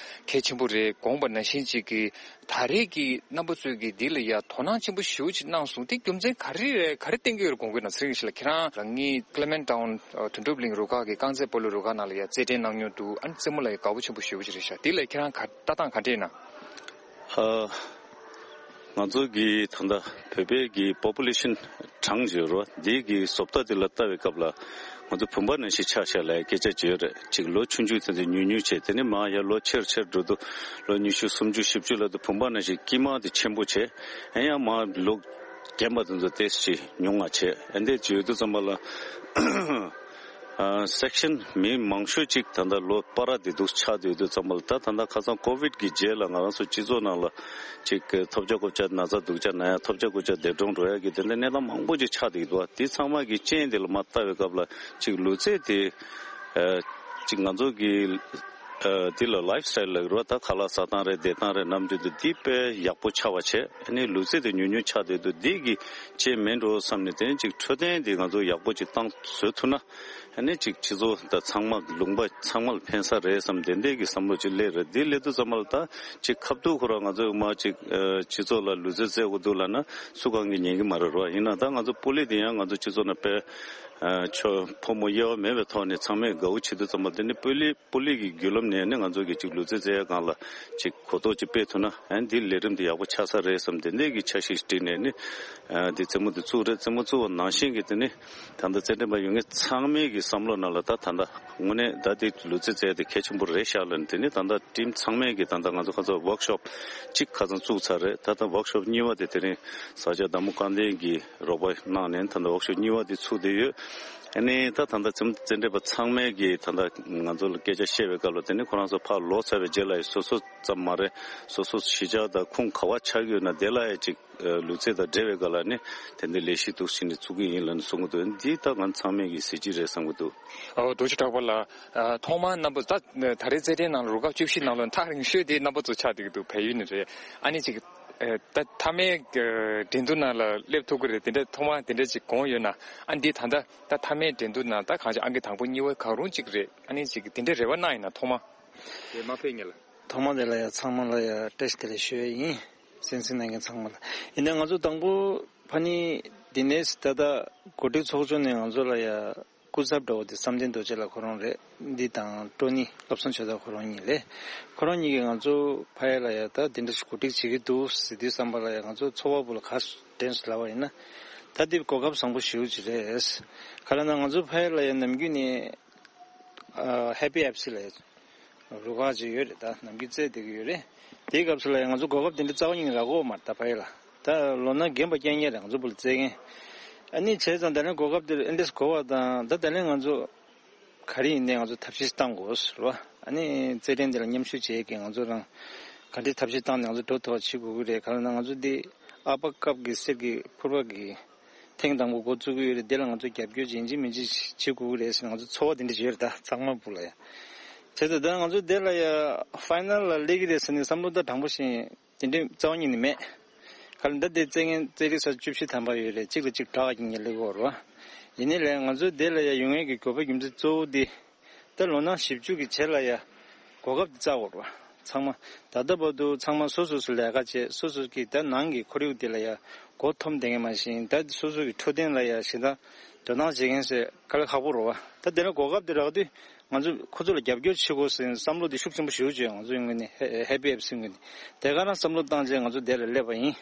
གལ་ཆེན་པོ་རེད། དགོངས་པ་ནང་བཞིན་ཅིག་གི་ད་རེས་ཀྱི་རྣམ་པ་ཚོས་ཀྱི་འདི་ལ་ཡ་དོ་སྣང་ཆེན་པོ་ཞེ་པོ་ཅིག་གནང་སོང་། དེ་རྒྱུ་མཚན་ག་རེ་རེད། ག་རེ་བསྟན་གྱི་ཡོད་རེད། དགོངས་ཀྱི་ན། ཚེ་རིང་ཡེ་ཤེས་ལགས། ཁྱེད་རང་རང་ཉིད་ཀི་ལེ་མན་ཊའུན་དོན་གྲུབ་གླིང་རུ་ཁག་གི་རྐང་རྩེད་སྤོ་ལོ་རུ་ཁག་ནང་ལ་ཡ་རྩེད་འགྲན་གནང་མྱོང་འདུག། ཨ་ནི་རྩེད་མོ་ལ་ཡ་དགའ་པོ་ཆེན་པོ་ཞེ་པོ་ཅིག་རེད་ཤག། འདི་ལ་ཁྱེད་རང་ག་ལྟ་སྟངས་ག་འདྲ་ཡིན་ན། ཨ། ང་ཚོ་གི་ད་ལྟ་བོད་པའི་གི་པོ་པུ་ལེ་ཤན་གྲངས་ཡོད་རེད་བ། འདི་གི་བཟོ་ལྟ་འདི་ལ་ལྟ་བའི་སྐབས་ལ་ང་ཚོ་བུམ་པ་ནང་བཞིན་ཆགས་ཤག་ལབ་སྐད་ཆ་ཅིག་ཡོད་རེད། ཅིག་ལོ་ཆུང་ཆུང་དེ་ཚོ་ཉུང་ཉུང་བྱས། དེ་ནས་མར་ཡར་ལོ་ཆེར་ཆེར་འགྲོ་དུས་ལོ་ཉི་ཤུ་སུམ་ཅུ་བཞི་བཅུ་ལ་དུ་བུམ་པ་ནང་བཞིན་དཀྱིལ་མ་དེ་ཆེན་པོ་བྱས། ཨེ་ཡང་མར་ལོ་རྒན་པ་དེ་ཚོ་ཏོག་ཙམ་ཉུང་བ་བྱས། ཨེ་འདྲ་ཅིག་ཡོད་དུས་ཙམ་པ་ལ། ཨ། སེག་ཤན་མི་མང་ཤོས་ཅིག་ད་ལྟ་ལོ་བར་དེ་འདུག་ཆགས་བསྡད་དུས་ཙམ་པ་ལ། ད་ད་ལྟ་ཁ་སང་ཀོ་ཝིཌ་གི་རྗེས་ལ་ང་རང་ཚོ་སྤྱི་ཚོགས་ནང་ལ་ཅིག་ཐོབ་བྱ་རྐུབ་བྱ་ན་ཚ་སྡུག་བྱ་ན་ཡ་ཐོབ་བྱ་རྐུབ་བྱ་འདས་གྲོངས་འགྲོ་ཡ་གི་དེ་འདྲ་གནས་སྟངས་མང་པོ་ཅིག་ཆགས་བསྡད་འདུག། དེ་ཚང་མ་གི་རྐྱེན་དེ་ལ་མར་ལྟ་བའི་སྐབས་ལ་ཅིག་ལུས་རྩལ་དེ་ཨ་ཅིག་ང་ཚོ་གི་ ཨ་འདི་ལ་ལའིབ་སི་ཊའིལ་ལབ་ཀྱི་རེད་བ། ད་ཁ་ལག་ཟ་སྟངས་རེད། བསྡད་སྟངས་རེད། ནམ་རྒྱུན་དུ་འདི་དཔེ་ཡག་པོ་ཆགས་པ་བྱས། ཨ་ནི་ལུས་རྩལ་དེ་ཉུང་ཉུང་ཆགས་བསྡད་འདུག་འདི་གི་རྐྱེན་མིན་འགྲོ་བསམ་ནས། དེ་ནས་ཅིག་འཕྲོད་བསྟེན་འདི་ང་ཚོ་ཡག་པོ་ཅིག་བཏང་བཟོས་ཐུབ་ན། ཨ་ནི་ཅིག་སྤྱི་ཚོགས་དང་ཚང་མ་ལུང་པ་ཚང་མ་ལ་ཕན་ས་རེད་བསམ། དེ་འདྲའི་གི་བསམ་བློ་ཅིག་སླེབས་རེད། འདི་སླེབས་དུས་ཙམ་པ་ལ་ད་ཅིག་ཁ་ཐུག་ཁོ་རང་ང་ཚོ་མར་ཅིག་ཨ་སྤྱི་ཚོགས་ལ་ལུས་རྩལ་རྩེ་དགོས་འདུག་ལབ་ན་སུ་གང་གིས་ཉན་གི་མ་རེད་རོ། ཡིན་ན་ད་ང་ཚོ་སྤོ་ལོ་དེ་ཡང་ང་ཚོ་སྤྱི་ཚོགས་ནང་དཔེ་ཨ་ཆོ་ཕོ་མོ་དབྱེ་བ་མེད་པའི་ཐོག་ནས་ཚང་མས་དགའ་བོ་བྱེད་དུས་ཙམ་པ། དེ་ནི་སྤོ་ལོ་སྤོ་ལོ་གི་བརྒྱུད་ལམ་ནས་ནི་ང་ཚོ་གི་ཅིག་ལུས་རྩལ་རྩེ་ཡ་སྒང་ལ་ཅིག་གོ་རྟོགས་ཅིག་སྤེལ་ཐུབ་ན། ཨ་ནི་འདི་ལས་རིམ་འདི་ཡག་པོ་ཆགས་ས་རེད་བསམ། དེ་འདྲའི་གི་འཆར་གཞི་ཞིག་བསྒྲིགས་ནས་ནི་ཨ་འདི་རྩེད་མོ་འདི་བཙུགས་རེད། རྩེད་མོ་བཙུགས་པ་ནང་བཞིན་གི་དེ་ནི་ད་ལྟ་རྩེད་འགྲན་པ་ཡོད་མཁན་ཚང་མའི་གི་བསམ་བློ་ནང་ལ་ད་ད་ལྟ་དངོས་གནས་ད་འདི་ལུས་རྩལ་རྩེ་ཡ་དེ་གལ་ཆེན་པོ་རེད་ཤག་ལབ་ནས། དེ་ནི་ད་ལྟ་ཊིམ་ཚང་མས་གི་ད་ལྟ་ང་ཚོ་ཁ་ཚོ་ཝོག་ཤོབ་གཅིག་ཁ་སང་བཙུགས་ཚར་རེད། ད་ལྟ་ཝོག་ཤོབ་གཉིས་པ་དེ་དེ་རིང་ས་སྐྱ་བདག་མོ་སྐལ་ལྡན་གྱིས་རོགས་པ་གནང་ནས་ད་ལྟ་ཝོག་ཤོབ་གཉིས་པ་དེ་ཚུགས་བསྡད་ཡོད། ཨ་ནི་ད་ད་ལྟ་རྩེད་མོ་རྩེད་འགྲན་པ་ཚང་མས་གི་ད་ལྟ་ང་ཚོ་ལ་སྐད་ཆ་བཤད་པའི་སྐབས་ལ། དེ་ནི་ཁོ་རང་ཚོ་ཕར་ལོག་ཚར་བའི་རྗེས་ལ་ཡང་སོ་སོ་ཙམ་མ་རེད། སོ་སོ་གཞིས་ཆགས་དང་ཁུངས་ག་པར་ཆགས་ཀྱི་ཡོད་ན་དེ་ལ་ཡང་ཅིག་ལུས་རྩལ་དང་འབྲེལ་བའི་སྒང་ལ་ནི་དེ་འདྲའི་ལས་གཞི་འདུག་ཟེར་ནས་བཙུགས་ཀྱི་ཡིན་ལབ་ནས་གསུང་གི་འདུག་འདི་ད་ང་ཚང་མས་ཀྱི་གཟི་བརྗིད་རེད་བསམ་གྱི་འདུག་ཨོ་རྡོ་རྗེ་གྲགས་པ་ལགས། ཨ་ཐོག་མར་རྣམ་པ་ད་ད་རེས་རྩེད་འགྲན་ནང་ལ་རུ་ཁག་བཅུ་བཞི་ནང་ལ་ཐག་རིང་ཤོས་དེ་རྣམ་པ་ཚོ་ཆགས་བསྡད་ཀྱི་འདུག་བལ་ཡུལ་ནས་རེད། ཨ་ནི་ཅིག་ཨ་ད་མཐའ་མའི་ཨ་འགྲན་བསྡུར་ནང་ལ་སླེབས་ཐུབ་ཀྱི་རེད། དེ་འདྲ་ཐོག་མར་དེ་འདྲ་ཅིག་དགོངས་ཡོད་ན། ཨ་འདི་ད་ལྟ་ད་མཐའ་མའི་འགྲན་བསྡུར་ནང་ད་གང་ཅི་ཨང་ཀི་དང་པོ་གཉིས་པ་གང་རུང་ཅིག་རེད། ཨ་ནི་ཅིག་དེ་འདྲའི་རེ་བ་གནང་ཡིན་ན་ཐོག་མ། དེ་མ་ཕེབས་ཉེ་ལ། ཐོག་མ་དེ་ལ་ཡང་ཚང་མ་ལ་ཡང་བཀྲ་ཤིས་བདེ་ལེགས་ཞུ་ཡ་ཡིན། གསན་གཟིགས་གནང་མཁན་ཚང་མ་ལ། ཡིན་ནའི་ང་ཚོ་དང་པོ་ཕ་ནི་འདི་ནས་ད་ལྟ་གོ་སྒྲིག་ཚོགས་ཆུང་ནས་ང་ཚོ་ལ་ཡང་སྐུ་ཚབ་འདྲ་བོ་དེ་བསམ་གཏན་རྡོ་རྗེ་ལགས་ཁོ་རང་རེད། འདི་དང་ཀྲོ་ནི་བསླབ་བཟང་ཆོས་བདག་ཁོ་རང་གཉིས་རེད། ཁོ་རང་གཉིས་ཀྱིས་ང་ཚོ་ཕ་ཡ་ལ་ཡང་ད་འདི་འདྲ་ཞིག་གོ་སྒྲིག་བྱེད་ཀྱི་འདུག་ཟེར་དུས་ཙམ་པ་ལ་ཡང་ང་ཚོ་ཚོར་བ་བོ་ལ་ག་དྲན་སོང་ལབ་པ་ཡིན་ན། ད་འདི་གོ་སྐབས་བཟང་པོ་ཞེ་པོ་ཅིག་རེད། ག་ལབ་ན་ང་ཚོ་ཕ་ཡ་ལ་ཡང་ནམ་རྒྱུན་ནས་ཨ་ཧེ་པི་ཨེཕ་སི་ལ་རུ་ཁག་ཅིག་ཡོད་རེད། ད་ནམ་རྒྱུན་རྩེད་བསྡད་ཀྱི་ཡོད་རེད། དེའི་སྐབས་སུ་ལ་ཡང་ང་ཚོ་གོ་སྐབས་དེ་འདྲ་རྩ་བ་ཉིད་ནས་རག་གི་ཡོད་མ་རེད། ད་ཕ་ཡ་ལ་ད་ལོ་ན་རྒན་པ་རྐྱང་རྐྱང་རེད། ང་ཚོ་བུ་ལ་རྩེད་མཁན། ཨ་ནི་བྱས་ཙང་དེ་ནས་གོ་སྐབས་དེ་ཨེ་འདྲས་གོ་བ་དང་། ད་དེ་ནས་ང་ཚོ་ག་རེ་ཡིན་ནའི་ང་ཚོ་ཐབས་ཤེས་བཏང་དགོས་ཟེར་བ། ཨ་ནི་རྩེད་འགྲན་དེ་ལ་མཉམ་ཞུགས་བྱེད་ཀྱི་ང་ཚོ་རང་ག་འདྲས་ཐབས་ཤེས་བཏང་ནས་ང་ཚོ་འགྲོ་ཐུབ་པ་བྱེད་དགོས་ཀྱི་རེད། ག་ལབ་ན་ང་ཚོ་འདི་ཨ་ཕ་ཀབ་ཀྱི་གསེར་གྱི་ཕུར་པ་གི་ཐེངས་དང་པོ་འགོ་བཙུགས་ཀྱི་ཡོད་རེད། དེ་ལ་ང་ཚོ་རྒྱབ་སྐྱོར་ཡིན་གཅིག་མིན་གཅིག་བྱེད་དགོས་ཀྱི་རེད་ཟེར་ང་ཚོ་ཚོར་བ་དེ་འདྲ་ཡོད་རེད། ད་ཚང་མ་བུ་ལ་ཡ། བྱས་ཙང་ད་ང་ཚོ་དེ་ལ་ཡ་ཕའི་ནལ་ལ་སླེབས་ཀྱི་རེད་ཟེར་ནས་བསམ་བློ་ད་དྲང་པོ་བཞིན་དེ་འདྲའི་རྩ་བ་ཉིད་ནས་མེད། ག་ལ་ད་དེ་རྩེད་མཁན་རྩེད་རིགས་ས་བཅུ་བཞི་ཐམ་པ་ཡོད་རེད། གཅིག་ལ་གཅིག་བྲག་གི་ཉེ་ལེ་གོ་རོ། ཡིན་ནའི་ལས་ང་ཚོ་དེ་ལ་ཡ་ཡོང་ཡས་ཀྱི་དགོས་པ་རྒྱུ་མཚན་གཙོ་བོ་དེ། ད་ལོ་ན་བཞི་བཅུ་གི་རྗེས་ལ་ཡ་གོ་སྐབས་དེ་བཙལ་དགོས་རེད་བ། ཚང་མ་ད་ལྟ་བར་དུ་ཚང་མ་སོ་སོ་སོ་ལས་ཀ་བྱས། སོ་སོ་གི་ད་ནང་གི་ཁོར་ཡུག་དེ་ལ་ཡ་མགོ་འཐོམ་བསྡད་མཁན་མ་གཞི། ད་སོ་སོ་གི་འཕྲོད་བསྟེན་ལ་ཡ་ཞེ་དྲག་དོ་སྣང་བྱེད་མཁན་ཟེར་དཀའ་ལས་ཁག་པོ་རེད་བ། ད་དེ་ལ་གོ་སྐབས་དེ་རག་དུས་ང་ཚོ་ཁོ་ཚོ་ལ་རྒྱབ་སྐྱོར་བྱེད་དགོས་ཟེར་བསམ་བློ་དེ་ཤུགས་ཆེན་པོ་ཞེ་པོ་བྱས། ང་ཚོ་ཡོང་གི་ནི་ཧེ་ཧེ་པི་ཨེཕ་སི་ཡོང་གི་ནི་དེ་ག་རང་བསམ་བློ་བཏང་བྱས་ང་ཚོ་དེ་ལ་སླེབས་པ་ཡིན།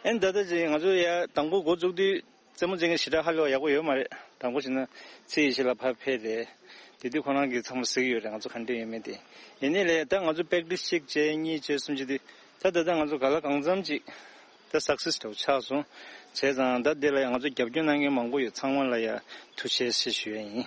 ཨེ་ད་ལྟ་ཅིག་ང་ཚོ་ཡ་དང་པོ་འགོ་བཙུགས་དུས། རྩེད་མོ་རྩེད་མཁན་ཞེ་དྲག་ཧ་ལས་པ་ཡག་པོ་ཡོད་མ་རེད། དང་པོ་བྱས་ན་ཚེ་ཡེ་ཤེས་ལགས་ཕར་ཕེབས་རེད། དེ་དུས་ཁོ་རང་གིས་ཚང་མ་གཟིགས་ཡོད་རེད། ང་ཚོ་ག་འདྲ་ཡོད་མེད་དེ། ཡིན་ནའི་ལས་ད་ང་ཚོ་པེག་ཊི་སི་གཅིག་བྱས་གཉིས་བྱས་གསུམ་བྱས་དུས་ད་ད་ལྟ་ང་ཚོ་ག་ལ་གང་འཚམ་ཅིག་ད་སག་སེ་སི་འདྲ་བོ་ཆགས་སོང་། བྱས་ཙང་ད་དེ་ལ་ཡང་ང་ཚོ་རྒྱབ་སྐྱོར་གནང་མཁན་མང་པོ་ཡོད། ཚང་མ་ལ་ཡང་ཐུགས་རྗེ་ཆེ་ཞུ་ཡ་ཡིན།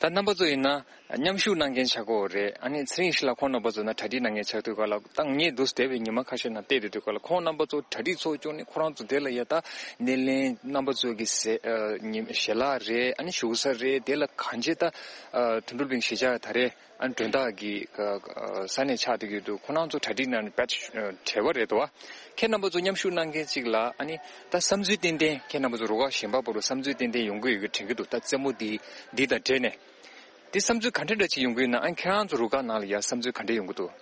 ད་རྣམ་པ་ཚོ་ཡིན་ན་མཉམ་ཞུགས་གནང་མཁན་ཆགས་ཀྱི་ཡོད་རེད། ཨ་ནི་ཚེ་རིང་ཞིང་ལགས་ཁོང་རྣམ་པ་ཚོ་ན་གྲ་སྒྲིག་གནང་མཁན་ཆགས་དུས་སྐབས་ལ་ད་ངས་འདུག་སེ་བསྡད་པའི་ཉི་མ་ཁ་ཤས་ནང་བལྟས་བསྡད་དུས་སྐབས་ལ་ཁོང་རྣམ་པ་ཚོ་གྲ་སྒྲིག་ཚོགས་སྐྱོང་ནས་ཁོ་རང་ཚོ་དེ་ལ་ཡ་ད་སྣེ་ལེན་རྣམ་པ་ཚོ་གི་ཞལ་ལག་རེད། ཨ་ནི་བཞུགས་ས་རེད། དེ་ལ་གང་ཅི་ད་དོན་གྲུབ་གླིང་གཞིས་ཆགས་ད་རེད། ཨ་ནི་མགྲོན་བདག་གི་ས་གནས་ཆགས་བསྡད་ཀྱི་འདུག་ཁོ་རང་ཚོ་གྲ་སྒྲིག་གནང་ནས་དཔེ་བྲེལ་བ་རེད་དོ། ཁྱེད་རྣམ་པ་ཚོ་མཉམ་ཞུགས་གནང་མཁན་གཅིག་ལ་ཨ་ནི་ད་བསམ་ཚུལ་ཏན་ཏན་ཁྱེད་རྣམ་པ་ཚོ་རུ་ཁག་གཞན་པ་བར་དུ་བསམ་ཚུལ་ཏན་ཏན་ཡོང་གི་ཡོད་ཀྱི་དྲན་གྱི་འདུག་ད་རྩེད་མོ་འདི་འདི་དང་འབྲེལ་ནས། དེ་བསམ་ཚུལ་ག་འདྲ་འདྲ་ཅིག་ཡོང་གི་ཡོད་ན། ཨ་ཁྱེད་རང་ཚོ་རུ་ཁག་ནང་ལ་ཡ་བསམ་ཚུལ་ག་འདྲ་ཡོང་གི་འདུག་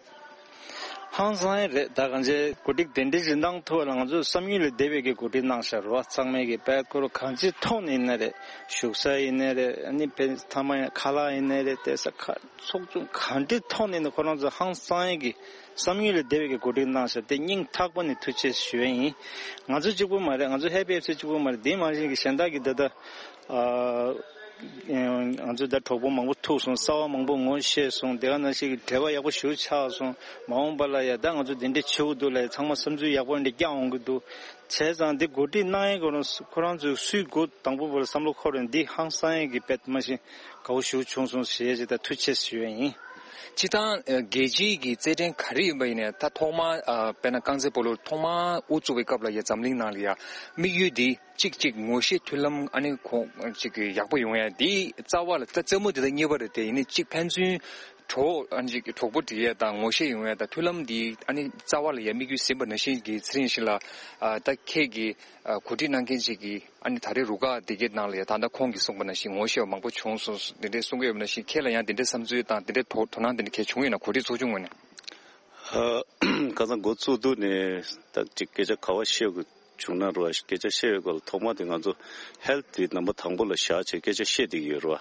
ཧང་སང་ཡ་རེད། ད་གང་ཅི་གོ་སྒྲིག་དེ་འདྲ་ཞིག་གནང་ཐུབ་པ་ལ་ང་ཚོ་བསམ་ཡུལ་ལས་འདས་པའི་གི་གོ་སྒྲིག་གནང་ཤག་རོ། ཚང་མས་གི་དཔལ་འཁོར་གང་ཅི་ཐོག་ནས་ཡིན་ན་རེད། བཞུགས་ས་ཡིན་ན་རེད། ཨ་ནི་ཕན་ཐ་མ་ཡང་ཁ་ལག་ཡིན་ན་རེད། བལྟས་ས་ཁ་ཚོགས་ཆུང་གང་འདྲ་ཐོག་ནས་ཡིན་ན་ཁོ་རང་ཚོ་ཧང་སང་ཡ་གི་བསམ་ཡུལ་ལས་འདས་པའི་གི་གོ་སྒྲིག་གནང་ཤག་དེ་སྙིང་ཐག་པ་ནས་ཐུགས་རྗེ་ཞུ་ཡ་ཡིན། ང་ཚོ་གཅིག་པུ་མ་རེད། ང་ཚོ་ཧེ་པི་ཨེཕ་སི་གཅིག་པུ་མ་རེད། དེ་མ་གཞི་གི་གཞན་དག་གི་ད་ལྟ་ཨ། ང་ཚོ་ད་གྲོགས་པོ་མང་པོ་ཐུག་སོང་། གསར་པ་མང་པོ་ངོ་ཤེས་སོང་། དེ་ག་ནང་བཞིན་གྱི་འབྲེལ་བ་ཡག་པོ་ཞེ་པོ་ཆགས་སོང་། མ་འོངས་པ་ལ་ཡ་ད་ང་ཚོ་འདི་འདྲ་བྱེད་དགོས་འདུག་ལབ་ཚང་མ་བསམ་ཚུལ་ཡག་པོ་འདྲ་བསྐྱངས་འོང་གི་འདུག་བྱས་ཙང་འདི་གོ་སྒྲིག་གནང་ཡས་ཁོ་རང་ཁོ་རང་ཚོས་སུས་འགོ་དང་པོ་བར་བསམ་བློ་འཁོར་རེད། འདི་ཧང་སང་ཡས་ཀྱི་དཔེ་མ་གཞི་དགའ་བོ་ཞེ་པོ་བྱུང་སོང་ཞེས་ཅིག་ད་ཐུགས་རྗེ་ཆེ་ཞུ་ཡས་ཡིན། སྤྱིར་བཏང་རྒྱལ་སྤྱིའི་གི་རྩེད་འགྲན་ག་རེ་ཡིན་པ་ཡིན་ནའི་ད་ཐོག་མར་དཔེར་ན་རྐང་རྩེད་སྤོ་ལོ་ཐོག་མར་དབུ་བཙུགས་པའི་སྐབས་ལ་ཡ་འཛམ་གླིང་ནང་ལ་ཡ་དམིགས་ཡུལ་འདི། གཅིག་གཅིག་ངོ་ཤེས་མཐུན་ལམ་ཨ་ནི་ཁོང་གཅིག་གི་ཡག་པོ་ཡོང་ཡ་དེ་རྩ་བ་ལ་ད་རྩེད་མོ་དེ་དང་གཉིས་པ་རེད་དེ། ཡིན་ནའི་གཅིག་ཕན་ཚུན་ གྲོགས་ཨ་ནི་གྲོགས་པོ་སྒྲིག་ཡས་དང་ངོ་ཤེས་ཡོང་ཡས་དང་མཐུན་ལམ་འདི་ཨ་ནི་རྩ་བ་ལ་ཡ་དམིགས་ཡུལ་ཟིན་པ་ནང་བཞིན་གྱི་ཚེ་རིང་ཞིག་ལ་ཨ་ད་ཁྱེད་ཀྱིས་ཨ་གོ་སྒྲིག་གནང་མཁན་ཅིག་གིས་ཨ་ནི་ད་རེས་རུ་ཁག་འདི་གའི་ནང་ལ་ཡ་ད་ལྟ་ཁོང་གིས་གསུངས་པ་ནང་བཞིན་ངོ་ཤེས་པ་མང་པོ་བྱུང་སོང་འདི་འདྲས་གསུང་གི་ཡོད་པ་ནང་བཞིན་ཁྱེད་ལ་ཡང་འདི་འདྲས་བསམ་ཚུལ་དང་འདི་འདྲས་དོ་དོ་སྣང་འདི་འདྲས་གལ་བྱུང་ཡོད་ན་གོ་སྒྲིག་ཚོགས་ཆུང་ངོས་ནས། ཁ་སང་འགོ་བཙུགས་དུས་ནས་ད་ཅིག་སྐད་ཆ་ག་བ་བཤད་དགོས་བྱུང་ན་རོ། སྐད་ཆ་བཤད་པའི་སྐོར་ལ་ཐོག་མ་དེ་ང་ཚོ་ཧེལ་ཐི་དེ་ནམ་བར་དང་པོ་ལ་བཞག་བྱས་སྐད་ཆ་བཤད་བསྡད་ཀྱི་ཡོད་རོ།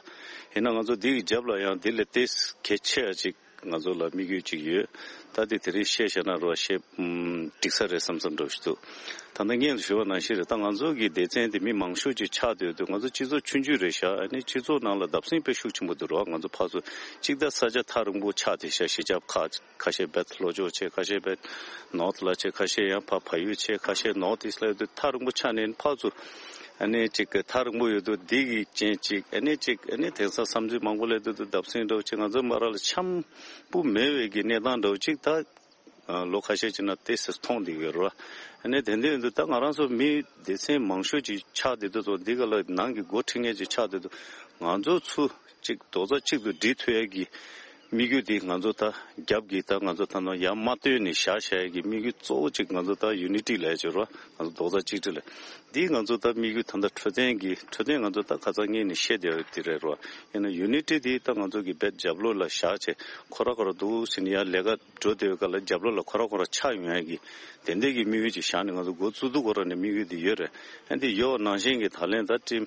ཡིན་ན་ང་ཚོ་འདི་གི་རྒྱབ་ལ་ཡང་འདི་ལས་ཏེ་གལ་ཆེ་ཡ་ཅིག་ང་ཚོ་ལ་དམིགས་ཡུལ་ཅིག་ཡོད། ད་དེ་དེ་རིང་བཤད་བཞག་ན་རོ་བཤད་ཨམ་འགྲིག་ས་རེད་བསམ་བསམ་འདྲ་ཞིག་འདུག་ད་ལྟ་སྔོན་དུ་ཞུས་པ་ནང་བཞིན་རེད། ད་ང་ཚོ་གི་སྡེ་ཚན་དེ་མི་མང་ཤོས་ཅིག་ཆགས་བསྡད་དུས་ང་ཚོ་སྤྱི་ཚོགས་ཆུང་ཆུང་རེད་ཤག་ཨ་ནི་སྤྱི་ཚོགས་ནང་ལ་བརྡབ་གསིག་དཔེ་ཤུགས་ཆེན་པོ་འདུག་རོ། ང་ཚོ་ཕར་ཚུར་གཅིག་ད་ས་ཆ་ཐག་རིང་པོ་ཆགས་བསྡད་ཤག་གཞིས་ཆགས་ཁག་ཁ་ཤས་བེད་ལྷོ་ཕྱོགས་བྱས། ཁ་ཤས་བེད་ནོར་ཐི་ལ་བྱས། ཁ་ཤས་ཡང་ཕར་བལ་ཡུལ་བྱས། ཁ་ཤས་ནོར་ཐི་ཨིསཊ་ལ་ཡོད་དུས་ཐག་རིང་པོ་ཆགས་ནས་ཕར་ཚུར་ཨ་ནི་ཅིག་གི་ཐག་རིང་པོ་ཡོད་དུས་འདི་གི་རྐྱེན་ཅིག་ཨ་ནི་ཅིག་ཨ་ནི་དེང་སང་བསམ་ཚུལ་མང་པོ་སླེབས་དུས་དུ་བརྡབ་གསིག་འདྲ་བོ་ཅིག་ང་ཚོ་མ་ར་ལ་འཆམ་པོ་མེད་པའི་གི་གནས་སྟངས་འདྲ་བོ་ཅིག་ད་ལོ་ཁ་ཤས་ཅིག་ན་ཏེ་སི་མཐོང་བསྡད་ཡོད་རེད་བ། ཨ་ནི་དེ་འདྲ་ཡོད་དུས་ད་ང་རང་ཚོ་མི་སྡེ་ཚན་མང་ཤོས་ཅིག་ཆགས་བསྡད་དུས་ཚོ་འདི་ག་ལ་ནང་གི་འགོ་ཁྲིད་མཁན་ཅིག་ཆགས་བསྡད་དུས་ང་ཚོ་ཚུར་ཅིག་རྡོག་རྩ་གཅིག་ཏུ་སྒྲིལ་ཐུབ་ཡས་ཀྱི་དམིགས་ཡུལ་འདི་ང་ཚོ་ད་རྒྱབ་ཀྱི་ད་ང་ཚོ་ད་ནང་ཡར་མ་བཏོན་ནས་བཞག་བཞག་ཡས་ཀྱི་དམིགས་ཡུལ་གཙོ་བོ་ཅིག་ང་ཚོ་ད་ཡུ་ནི་ཊི་ལབ་ཡས་ཅིག་རོ། ང་ཚོ་རྡོག་རྩ་གཅིག་སྒྲིལ་ལ་འདི་ང་ཚོ་ད་དམིགས་ཡུལ་ད་ལྟ་འཕྲོད་བསྟེན་གྱི་འཕྲོད་བསྟེན་ང་ཚོ་ད་ཁ་སང་ངས་ནས་བཤད་བསྡད་ཡོད་དེ་རེད་རོ། ཡིན་ན་ཡུ་ནི་ཊི་འདི་ད་ང་ཚོ་གི་རྦད་རྒྱབ་ལོགས་ལ་བཞག་བྱས་ཁོ་ར་ཁོ་ར་འདུག་ཟེར་ནས་ཡར་ལས་ཀ་འགྲོ་བསྡད་ཡོད་སྐབས་ལ་རྒྱབ་ལོགས་ལ་ཁོ་ར་ཁོ་ར་ཆགས་ཡོང་ཡས་ཀྱི་དེ་འདྲས་ཀྱི་དམིགས་ཡུལ་ཅིག་བཞག་ནས་ང་ཚོ་འགོ་བཙུགས་དུས་ཁོ་ར་ནས་དམིགས་ཡུལ་འདི་ཡོད་རེད། ཨ་འདི་ཡོད་ནང་བཞིན་གྱི་ད་ལན་ད་ཊིམ་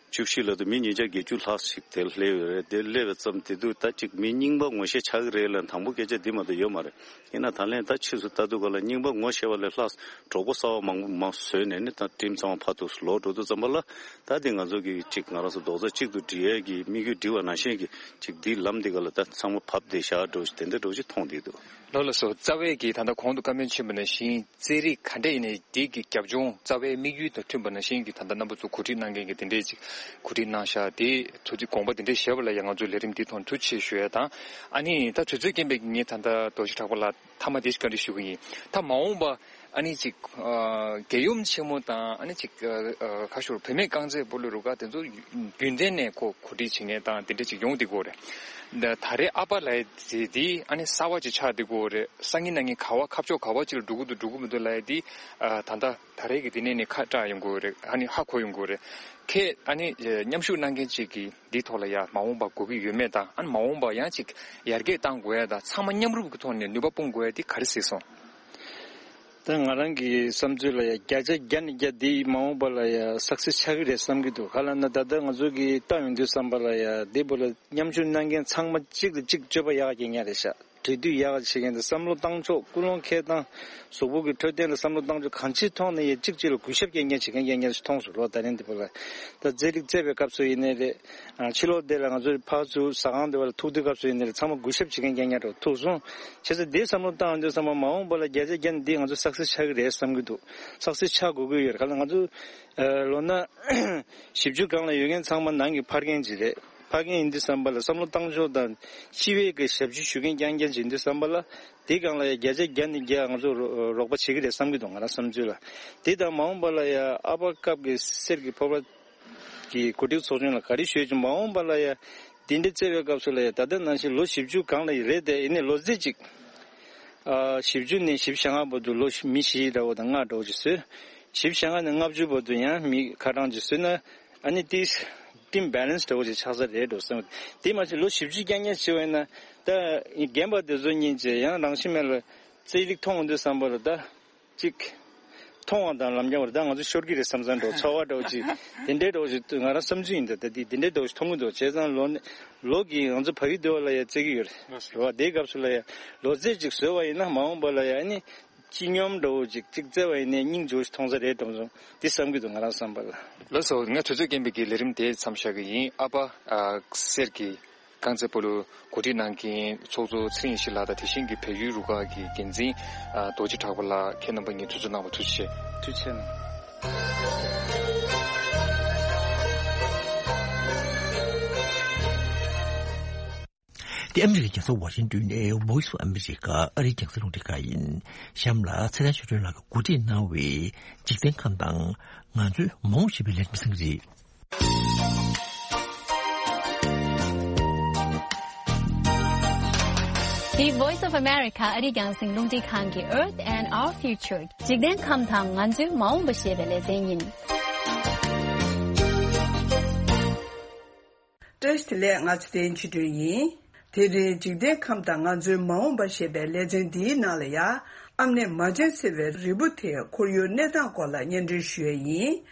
བཅུ་བཞི་ལ་དུ་མི་ཉིས་བརྒྱ་བརྒྱད་ཅུ་ལྷག་ཞིག་དེར་སླེབས་ཡོད་རེད། དེ་སླེབས་པའི་ཙམ་དེ་དུས་ད་ཅིག་མི་རྙིང་པ་ངོ་ཤེས་ཆགས་ཀྱི་རེད་ལ་དང་པོ་སྐད་ཆ་འདི་མ་གཏོགས་ཡོད་མ་རེད། ཡིན་ན་ད་ལན་ད་ཕྱིས་སུ་ལྟ་དུས་ག་ལ་རྙིང་པ་ངོ་ཤེས་པ་ལས་ལྷག་གྲོགས་པོ་གསར་པ་མང་པོ་མང་བཟོས་ནས་ནི་ད་ཊིམ་ཚང་མ་ཕར་ཚུར་ལོག་འགྲོ་དུས་ཙམ་པ་ལ་ད་དེ་ང་ཚོ་གི་ཅིག་ང་རང་ཚོ་རྡོག་རྩ་གཅིག་ཏུ་སྒྲིལ་ཡས་ཀྱི་དམིགས་ཡུལ་སྒྲིལ་བ་ནང་བཞིན་གྱི་ཅིག་འདི་ལམ་འདི་ག་ལ་ད་ཚང་མ་བབས་བསྡད་བཞག་འགྲོ་དེ་འདྲ་འགྲོ་ཅིག་མཐོང་བསྡད་འདུག་ལགས་ལགས་སོ། རྩ་བའི་གི་ད་ལྟ་གོང་དུ་བཀའ་མོལ་ཕྱིན་པ་ནང་བཞིན་རྩེད་རིགས་ག་འདྲ་ཡིན་ནའི་དེ་གི་རྒྱབ་ལྗོངས་རྩ་བའི་དམིགས་ཡུལ་དང་མཐུན་པ་ནང་བཞིན་གྱི་ད་ལྟ་རྣམ་པ་ཚོ་གོ་སྒྲིག་གནང་མཁན་གྱི་དེ་འདྲས་ཅིག་གོ་སྒྲིག་གནང་ཤག་དེ་ཚོ་ཅིག་དགོངས་པ་དེ་འདྲས་བཞེས་པ་ལ་ཡང་ང་ཚོའི་ལས་རིམ་འདི་ཐོག་ཐུགས་རྗེ་ཆེ་ཞུ་ཡས་དང་། ཨ་ནི་ད་དུས་ཚོད་རྐྱེན་པས་ངས་ད་ལྟ་རྡོ་རྗེ་གྲགས་པ་ལ་མཐའ་མ་དེ་ཞིག་བཀའ་འདྲི་ཞུ་གི་ཡིན། ད་མ་འོངས་པ་ཨ་ནི་ཅིག་ཨ་རྒྱལ་ཡུམ་ཆེན་མོ་དང་ཨ་ནི་ཅིག་ཨ་ཨ་ཁ་ཤོར་བུད་མེད་རྐང་རྩེད་སྤོ་ལོ་རུ་ཁག་དེ་ཚོ་རྒྱུན་ལྡན་ནས་ཁོ་གོ་སྒྲིག་བྱེད་མཁན་དང་དེ་འདྲ་ཅིག་ཡོང་བསྡད་ཀྱི་ཡོད་རེད། ད་ད་རེས་ཨ་ཕ་ལབ་ཡས་དེ་དེ་ཨ་ནི་གསར་པ་ཅིག་ཆགས་བསྡད་ཀྱི་ཡོད་རེད། སང་ཉིན་གནངས་ཉིན་ག་བ་ཁ་ཕྱོགས་ག་བ་ཅིག་ལ་འགྲོ་གི་འདུག་འགྲོ་གི་མི་འདུག་ལབ་ཡས་དེ་ཨ་ད་ལྟ་ད་རེས་ཀྱི་དེ་ནས་ནི་ཁ་བཀྲག་ཡོང་གི་ཡོད་རེད། ཨ་ནི་ཧ་གོ་ཡོང་གི་ཡོད་རེད། ཁྱེད་ཨ་ནི་མཉམ་ཞུགས་གནང་མཁན་ཅིག་གིས་འདིའི་ཐོག་ལ་ཡ་མ་འོངས་པ་དགོས་ཀྱི་ཡོད་མེད་དང་ཨ་ནི་མ་འོངས་པ་ཡང་ཅིག་ཡར་རྒྱས་གཏང་དགོས་ཡ་དང་ཚང་མ་མཉམ་རུབ་ཀྱི་ཐོག་ནས་ནུས་པ་སྤུངས་དགོས་ཡ་དེ་ག་རེ་གཟིགས་སོང་། ད་ང་རང་གི་བསམ་ཚུལ་ལ་ཡ་བརྒྱ་ཆ་བརྒྱ་ནས་བརྒྱ་འདི་མ་འོངས་པ་ལ་ཡ་སག་སེ་སི་ཆགས་ཀྱི་རེད་བསམ་གྱི་འདུག་ག་ལབ་ན་ད་ལྟ་ང་ཚོ་གི་ལྟ་ཡོང་དུས་བསམ་པ་ལ་ཡ་འདི་བོ་ལ་མཉམ་ཞུགས་གནང་མཁན་ཚང་མ་གཅིག་ལ་གཅིག་སྤྱོད་པ་ཡག་གི་མཁན་རེད་ཤག་འབྲེལ་མཐུད་ཡག་བྱེད་མཁན་དང་བསམ་བློ་བཏང་ཕྱོགས་ཀུན་སློང་འཁྱེར་སྟངས་གཟུགས་པོ་གི་འཕྲོད་བསྟེན་ལ་བསམ་བློ་བཏང་ཕྱོགས་གང་ཅིའི་ཐོག་ནས་ཡང་གཅིག་གཅིག་ལ་གུས་ཞབས་སྐྱེ་མཁན་བྱེད་མཁན་རྐྱང་རྐྱང་ཞིག་མཐོང་སོང་ལོ། ད་རིང་འདི་པོ་ལ་ད་རྩེད་རིགས་རྩེད་པའི་སྐབས་སུ་ཡིན་ནའི་རེད། ཕྱི་ལོགས་དེ་ལ་ང་ཚོ་ཕར་ཚུར་ཟ་ཁང་འདི་པ་ལ་ཐུག་དུས་སྐབས་སུ་ཡིན་ནའི་རེད། ཚང་མ་གུས་ཞབས་བྱེད་མཁན་རྐྱང་རྐྱང་འདྲ་བོ་ཐུག་སོང་། བྱས་ཙང་འདི་བསམ་བློ་བཏང་ཡོང་དུས་ཙམ་པ་མ་འོངས་པ་ལ་བརྒྱ་ཆ་བརྒྱ་ནས་འདི་ང་ཚོ་སག་སེ་སི་ཆགས་ཀྱི་རེད་བསམ་གྱི་འདུག་སག་སེ་སི་ཆགས་དགོས་ཀྱི་ཡོད་རེད། ག་ལ་ང་ཚོ་ལོ་ན་བཞི་བཅུ་སྒང་ལ་ཡོད་མཁན་ཚང་མ་ནང་གི་ཕ་རྒན་ཅིག་རེད། ཕ་རྒན་ཡིན་དུས་ཙམ་པ་ལ་བསམ་བློ་བཏང་ཕྱོགས་དང་སྤྱི་པའི་གི་ཞབས་ཕྱི་ཞུ་མཁན་རྐྱང་རྐྱང་ཅིག་ཡིན་དུས་ཙམ་པ་ལ་དེའི་སྒང་ལ་ཡ་བརྒྱ་ཆ་བརྒྱ་ནས་བརྒྱ་ང་ཚོ་རོགས་པ་བྱེད་ཀྱི་རེད་བསམ་གྱི་འདུག་ང་རང་བསམ་ཚུལ་ལ། དེ་དང་མ་འོངས་པ་ལ་ཡ་ཨ་ཕ་སྐབས་ཀྱི་གསེར་གྱི་ཕོར་པ་གི་གོ་སྒྲིག་ཚོགས་ཆུང་ལ་ག་རེ་ཞུས་ཀྱང་མ་འོངས་པ་ལ་ཡ་འདི་འདྲ་བརྩེ་བའི་སྐབས་སུ་ལ་ཡ་ད་ལྟ་ནང་བཞིན་ལོ་བཞི་བཅུ་སྒང་ལ་ཡ་རེད་དེ་ཡིན་ནའི་ལོ་ཚད་ཅིག་ཨ་བཞི་བཅུ་ནས་བཞི་བཅུ་ཞེ་ལྔ་བར་དུ་ལོ་མི་བཞི་འདྲ་བོ་དང་ལྔ་འདྲ་བོ་ཅིག་བཟོས། བཞི་བཅུ་ཞེ་ལྔ་ནས་ལྔ་བཅུ་བར་དུ་ཡང་མི་ཁ་གྲངས་ཅིག་བཟོས་ན། ཨ་ནི་ཏིས་ཏིམ་བྷེ་ལེན་སི་འདྲ་བོ་ཅིག་ཆགས་ས་རེད་འགྲོ་བསམ། དེ་མ་ཚད་ལོ་བཞི་བཅུ་རྐྱང་རྐྱང་བྱས་པ་ཡིན་ན་ད་རྒན་པ་དེ་ཚོ་གཉིས་ཀྱིས་ཡང་རང་ཤི་མེད་ལ་རྩེད་རིགས་མཐོང་འོང་དུས་བསམ་པ་ལ་ད་ཅིག་མཐོང་བ་དང་ལམ་རྒྱང་བར་ད་ང་ཚོ་ཤོར་གྱི་རེད་བསམ་བསམ་འགྲོ་ཚོར་བ་འདྲ་བོ་ཅིག་དེ་འདྲའི་འདྲ་བོ་ཅིག་ང་རང་བསམ་ཚུལ་ཡིན། ད་ད་དེ་དེ་འདྲའི་འདྲ་བོ་ཅིག་མཐོང་གི་འདུག་བྱས་ཙང་ལོ་ནི་ལོ་གི་ང་ཚོ་བལ་ཡུལ་སྡེ་བ་ལ་ཡ་རྩེད་ཀྱི་ཡོད་རེད་བ། དེའི་སྐབས་སུ་ལ་ཡ་ལོ་ཚད་ཅིག་བཟོས་པ་ཡིན་ན་མ་འོངས་པ་ལ་ཡ་ཨ་ནི། སྤྱི་སྙོམས་འདྲ་བོ་ཅིག་ཅིག་བརྩེ་བ་ཡིན་ནའི་སྙིང་རྗེ་བོ་ཞིག་མཐོང་ས་རེད་འགྲོ་སོང་འདི་བསམ་གྱི་འདུག་ང་རང་བསམ་པ་ལ། ལགས་སོ། ང་དུས་ཚོད་རྐྱེན་པས་ཀྱི་ལས་རིམ་དེ་མཚམས་བཞག་གི་ཡིན། ཨ་ཕ་ཨ་གསེར་གྱི་རྐང་རྩེད་སྤོ་ལོ་གོ་སྒྲིག་གནང་མཁན་ཚོགས་གཙོ་ཚེ་རིང་ཡེ་ཤེས་ལགས་དང་དེ་བཞིན་གྱི་བལ་ཡུལ་རུ་ཁག་གི་འགན་འཛིན་ཨ་རྡོ་རྗེ་གྲགས་པ་ལགས། ཁྱེད་རྣམ་པ་གཉིས་དུས་ཚོད་གནང་བར་ཐུགས་རྗེ་ཆེ། ཐུགས་རྗེ་ཆེ་གནང་། འདི་ཨ་མི་རི་ཀའི་རྒྱལ་ས་ཝ་ཤིང་ཏོན་ནས་Voice of America ཨ་རིའི་རྒྱང་སྲིང་རླུང་འཕྲིན་ཁང་ཡིན། གཤམ་ལ་ཚེ་རིང་ཆོས་སྒྲོན་ལགས་ཀྱིས་གོ་སྒྲིག་གནང་བའི་འཇིག་རྟེན་ཁམས་དང་ང་ཚོའི་མ་འོངས་ཞེས་པའི་ལས་རིམ་གསན་གྱི་རེད། འདི་Voice of America ཨ་རིའི་རྒྱང་སྲིང་རླུང་འཕྲིན་ཁང་གི་Earth and Our Future འཇིག་རྟེན་ཁམས་དང་ང་ཚོའི་མ་འོངས་པ་ཞེས་པའི་ལེ་ཚན་ཡིན། བཀྲ་ཤིས་བདེ་ལེགས། ང་ཚེ་བརྟན་ཆོས་སྒྲོན་ཡིན། དེ་རིང་འཇིག་རྟེན་ཁམས་དང་ང་ཚོའི་མ་འོངས་པ་ཞེས་པའི་ལེ་ཚན་འདིའི་ནང་ལ་ཡང་། ཨམ་ནེ་མ་ཆེན་ཟེར་བའི་རིལ་བུ་དེ་ཁོར་ཡུག་གནས་སྟངས་སྐོར་ལ་སྙན་སྒྲོན་ཞུ་ཡས་ཡིན།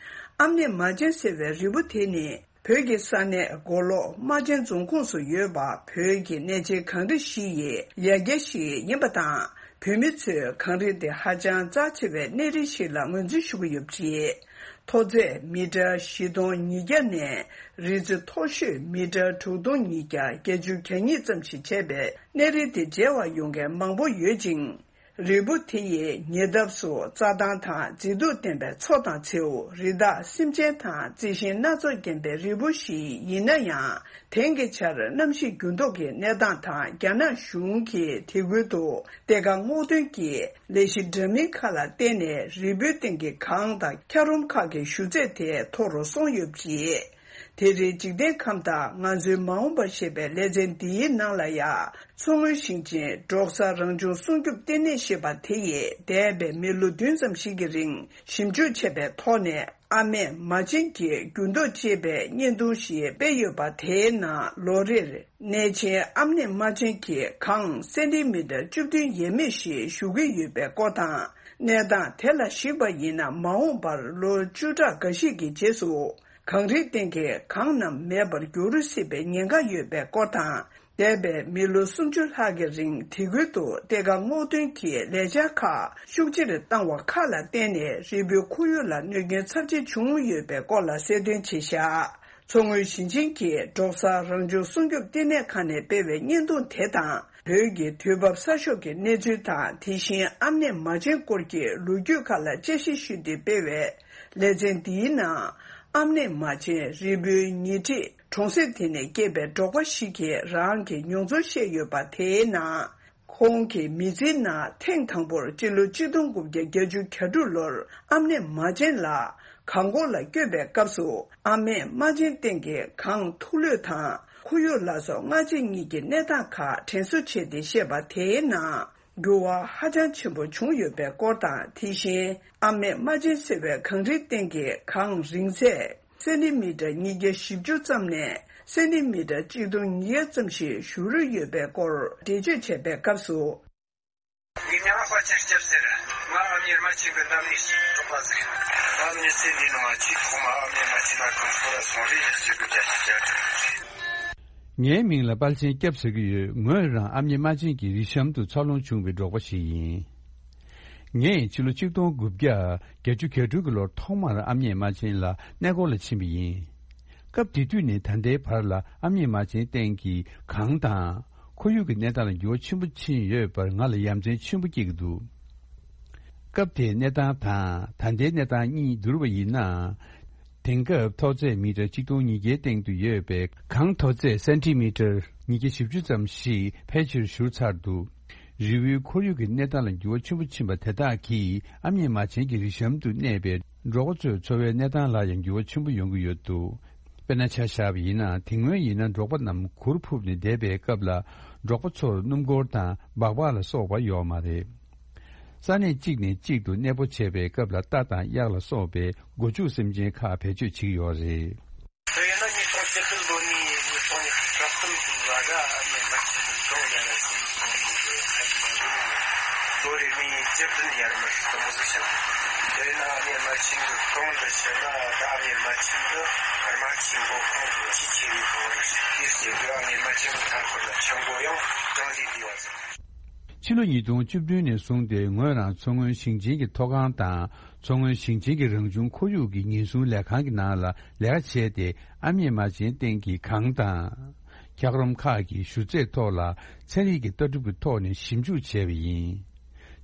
ཨམ་ནེ་མ་ཆེན་ཟེར་བའི་རིལ་བུ་དེ་ནི། བོད་ཀྱི་ས་གནས་མགོ་ལོག་རྨ་ཆེན་རྫོང་ཁོངས་སུ་ཡོད་པ། བོད་ཀྱི་གནས་ཆེན་གངས་རི་བཞི་ཡི་ཡ་གྱལ་ཞིག་ཡིན་པ་དང་། བོད་མི་ཚོས་གངས་རི་དེ་ཧ་ཅང་རྩ་ཆེ་བའི་གནས་རི་ཞིག་ལ་ངོས་འཛིན་ཞུ་གི་ཡོད་པ་རེད། མཐོ་ཚད་མི་ཊར་བཞི་སྟོང་ཉིས་བརྒྱ་ནས་རི་རྩེ་མཐོ་ཤོས་མི་ཊར་དྲུག་སྟོང་ཉིས་བརྒྱ་བརྒྱད་ཅུ་གྱ་གཉིས་ཙམ་ཞིག་བྱས་པའི་གནས་རི་དེ་མཇལ་བར་ཡོང་མཁན་མང་པོ་ཡོད་ཅིང་། རིལ་བུ་དེ་ཡི་ཉེ་འདབས་སུ་རྩྭ་ཐང་དང་མཛེས་སྡུག་ལྡན་པའི་མཚོ་དང་མཚེའུ། རི་དྭགས་སེམས་ཅན་དང་རྩི་ཤིང་སྣ་ཚོགས་ལྡན་པའི་རིལ་བུ་ཞིག་ཡིན་ན་ཡང་། དེང་གི་ཆར་གནམ་གཤིས་འགྱུར་ལྡོག་གི་གནས་སྟངས་དང་རྒྱ་ནག་གཞུང་གིས་དེ་ཁུལ་དུ་གཏེར་ཁ་སྔོག་འདོན་གྱི་ལས་གཞི་འདྲ་མིན་ཁག་ལ་བརྟེན་ནས་རིལ་བུའི་སྟེང་གི་གངས་དང་འཁྱགས་རོམ་ཁག་གི་ཞུ་ཚད་དེ་མཐོ་རུ་སོང་ཡོད་པ་རེད། དེ་རིང་འཇིག་རྟེན་ཁམས་དང་ང་ཚོའི་མ་འོངས་པ་ཞེས་པའི་ལེ་ཚན་འདིའི་ནང་ལ་ཡང་། མཚོ་སྔོན་ཞིང་ཆེན་འབྲོག་ས་རང་བྱུང་སྲུང་སྐྱོབ་ལྟེ་གནས་ཞེས་པ་དེ་ཡིས་འདས་པའི་མི་ལོ་བདུན་ཙམ་ཞིག་གི་རིང་ཞིབ་འཇུག་བྱས་པའི་ཐོག་ནས། ཨ་མེས་མ་ཆེན་གྱི་འགྱུར་ལྡོག་ཅེས་པའི་བརྙན་ཐུང་ཞིག་སྤེལ་ཡོད་པ། དེའི་ནང་ལོ་རེར་གནས་ཆེན་ཨ་མེས་མ་ཆེན་གྱི་གངས་སེན་ཏི་མི་ཊར་བཅུ་བདུན་ཡས་མས་ཤིག་ཞུ་གི་ཡོད་པའི་སྐོར་དང་། གནས་སྟངས་དེ་ལ་གཞིགས་པ་ཡིན་ན། མ་འོངས་པར་ལོ་བཅུ་ཕྲག་འགའ་ཞིག་གི་རྗེས་སུ། གངས་རིའི་སྟེང་གི་གངས་རྣམས་མེད་པར་འགྱུར་སྲིད་པའི་ཉེན་ཁ་ཡོད་པའི་སྐོར་དང་། འདས་པའི་མི་ལོ་སུམ་ཅུ་ལྷག་གི་རིང་དེ་ཁུལ་དུ་གཏེར་ཁ་སྔོག་འདོན་གྱི་ལས་འཆར་ཁག་ཤུགས་ཆེར་བཏང་བ་ཁག་ལ་བརྟེན་ནས་རིལ་བུའི་ཁོར་ཡུག་ལ་གནོད་སྐྱོན་ཚབས་ཆེ་བྱུང་ཡོད་པའི་སྐོར་ལ་གསལ་སྟོན་བྱས་བཞག་མཚོ་སྔོན་ཞིང་ཆེན་གྱི་འབྲོག་ས་རང་བྱུང་སྲུང་སྐྱོབ་ལྟེ་གནས་ཁང་ནས་སྤེལ་བའི་བརྙན་ཐུང་དེ་དང་། བོད་ཀྱི་དུས་བབ་གསར་ཤོག་གི་གནས་ཚུལ་དང་། དེ་བཞིན་ཨ་མེས་མ་ཆེན་སྐོར་གྱི་ལོ་རྒྱུས་ཁག་ལ་དཔྱད་ཞིབ་ཞུས་ཏེ་སྤེལ་བའི་ལེ་ཚན་འདིའི་ནང་། ཨ་མེས་མ་ཆེན་རིལ་བུའི་ཉེ་འཁྲིས་གྲོང་གསེབ་དེ་ནས་སྐྱེས་པའི་འབྲོག་པ་ཞིག་གིས་རང་གི་མྱོང་ཚོར་བཤད་ཡོད་པ། དེའི་ནང་། ཁོང་གི་མི་ཚེའི་ནང་ཐེངས་དང་པོར་སྤྱི་ལོ་གཅིག་སྟོང་དགུ་བརྒྱ་བརྒྱད་ཅུ་གྱ་དྲུག་ལོར་ཨ་མེས་མ་ཆེན་ལ་གངས་སྐོར་ལ་བསྐྱོད་པའི་སྐབས་སུ། ཨ་མེས་མ་ཆེན་སྟེང་གི་གངས་ཐུག་ལུད་དང་ཁོར་ཡུག་ལ་སོགས་སྔ་རྗེས་གཉིས་ཀྱི་གནས་སྟངས་ཁག་དྲན་གསོ་བྱས་ཏེ་བཤད་པ། དེའི་ནང་། འགྱུར་བ་ཧ་ཅང་ཆེན་པོ་བྱུང་ཡོད་པའི་སྐོར་དང་། དེ་བཞིན་ཨ་མེས་མ་ཆེན་ཟེར་བའི་གངས་རིའི་སྟེང་གི་གངས་རིང་ཚད་སེན་ཏི་མི་ཊར་ཉིས་བརྒྱ་བཞི་བཅུ་ཙམ་ནས་སེན་ཏི་མི་ཊར་གཅིག་སྟོང་ཉིས་བརྒྱ་ཙམ་ཞིག་བཞུར་ཡོད་པའི་སྐོར་འགྲེལ་བརྗོད་བྱས་པའི་སྐབས་སུ། ངའི་མིང་ལ་དཔལ་ཆེན་སྐྱབས་ཟེར། ང་ཨ་མྱེས་རྨ་ཆེན་གྱི་འདབས་ནས་ཞིག་གྲོགས་པ་ཟིག་ད་མྱི་ཚེ་འདིའི་ནང་ཆེས་ཐོག་མ་ཨ་མྱེས་རྨ་ཆེན་ན་གངས་སྐོར་ལ་སོང་རེ་ཡག་ཅིག་གི་རྒྱ་ཆེ་རྒྱ་ཆེ། ངའི་མིང་ལ་དཔལ་ཆེན་སྐྱབས་ཟེར་གྱི་ཡོད། ངོས་རང་ཨ་མྱེས་རྨ་ཆེན་གྱི་རི་གཤམ་དུ་འཚར་ལོངས་བྱུང་བའི་འབྲོག་པ་ཞིག་ཡིན། ངས་ཕྱི་ལོ་གཅིག་སྟོང་དགུ་བརྒྱ་བརྒྱད་ཅུ་གྱ་དྲུག་གི་ལོར་ཐོག་མར་ཨ་མྱེས་རྨ་ཆེན་ལ་གནས་སྐོར་ལ་ཕྱིན་པ་ཡིན། སྐབས་དེ་དུས་ནས་ད་ལྟའི་བར་ལ་ཨ་མྱེས་རྨ་ཆེན་སྟེང་གི་གངས་དང་། ཁོར་ཡུག་གི་གནས་སྟངས་ལ་འགྱུར་བ་ཆེན་པོ་ཕྱིན་ཡོད་པར་ང་ལ་ཡ་མཚན་ཆེན་པོ་སྐྱེ་གི་འདུག་སྐབས་དེའི་གནས་སྟངས་དང་ད་ལྟའི་གནས་སྟངས་གཉིས་བསྡུར་བ་ཡིན་ན། དེང་སྐབས་མཐོ་ཚད་མི་ཊར་གཅིག་སྟོང་ཉིས་བརྒྱའི་སྟེང་དུ་ཡོད་པའི་གངས་མཐོ་ཚད་སེན་ཏི་མི་ཊར་ཉིས་བརྒྱ་བཞི་བཅུ་ཙམ་ཞིག་ཕལ་ཆེར་བཞུར་ཚར་འདུག་རི་བོའི་ཁོར་ཡུག་གི་གནས་སྟངས་ལ་འགྱུར་བ་ཆེན་པོ་ཕྱིན་པ་དེ་དག་གིས་ཨ་མྱེས་རྨ་ཆེན་གྱི་རི་གཤམ་དུ་གནས་པའི་འབྲོག་པ་ཚོའི་འཚོ་བའི་གནས་སྟངས་ལ་ཡང་འགྱུར་བ་ཆེན་པོ་ཡོང་གི་ཡོད་འདུག་དཔེར་ན་ཆ་བཞག་པ་ཡིན་ན། དེ་སྔོན་ཡིན་ན་འབྲོག་པ་རྣམས་གུར་ཕུབ་ནས་བསྡད་པའི་སྐབས་ལ། འབྲོག་པ་ཚོར་སྣུམ་འཁོར་དང་སྦག་སྦག་ལ་སོགས་པ་ཡོད་མ་རེད། ས་གནས་གཅིག་ནས་གཅིག་ཏུ་གནས་སྤོ་བྱས་པའི་སྐབས་ལ་རྟ་དང་གཡག་ལ་སོགས་པའི་སྒོ་ཕྱུགས་སེམས་ཅན་ཁག་བེད་སྤྱོད་བྱེད་ཀྱི་ཡོད་རེད། དེ་ཡིན་ན་ཉིས་སྟོང་བཅུ་བདུན་ལོ་ནས་ཉིས་སྟོང་ཉི་ཤུ་རྩ་གསུམ་ལོ་བར་ཨ་མྱེས་རྨ་ཆེན་གྱི་གངས་ཡར་ར་ཟིན་སོང་ནས་ལོ་རེ་ནས་བཅུ་བདུན་ཡར་མར་དུ་མོ་ཟིག་བྱུང་། དེ་ན་ཨ་མྱེས་རྨ་ཆེན་གྱི་གངས་འདི་ཕྱིན་ན་ད་ཨ་མྱེས་རྨ་ཆེན་གྱི་རྨ་ཆེན་མགོ་ཁོངས་ཀྱི་ཆེས་ཆེ་བའི་གངས་རེད། དེའི་རྗེས་ལ་ཨ་མྱེས་རྨ་ཆེན་གྱི་མཐའ་འཁོར་ལ་ཆུ་མགོ་ཡང་གྲངས་ལས་འདས་པ་ཟིག་ཕྱི་ལོ་ཉིས་སྟོང་བཅུ་བདུན་ནས་བཟུང་སྟེ་ངོས་རང་མཚོ་སྔོན་ཞིང་ཆེན་གྱི་མཐོ་སྒང་དང་མཚོ་སྔོན་ཞིང་ཆེན་གྱི་རང་བྱུང་ཁོར་ཡུག་གི་ཉེན་སྲུང་ལས་ཁང་གི་ནང་ལ་ལས་ཀ་བྱས་ཏེ། ཨ་མྱེས་རྨ་ཆེན་སྟེང་གི་གངས་དང་། འཁྱགས་རོམ་ཁག་གི་ཞུ་ཚད་ཐོག་ལ་ཚན་རིག་གི་ལྟ་གྲུབ་ཀྱི་ཐོག་ནས་ཞིབ་འཇུག་བྱས་པ་ཡིན།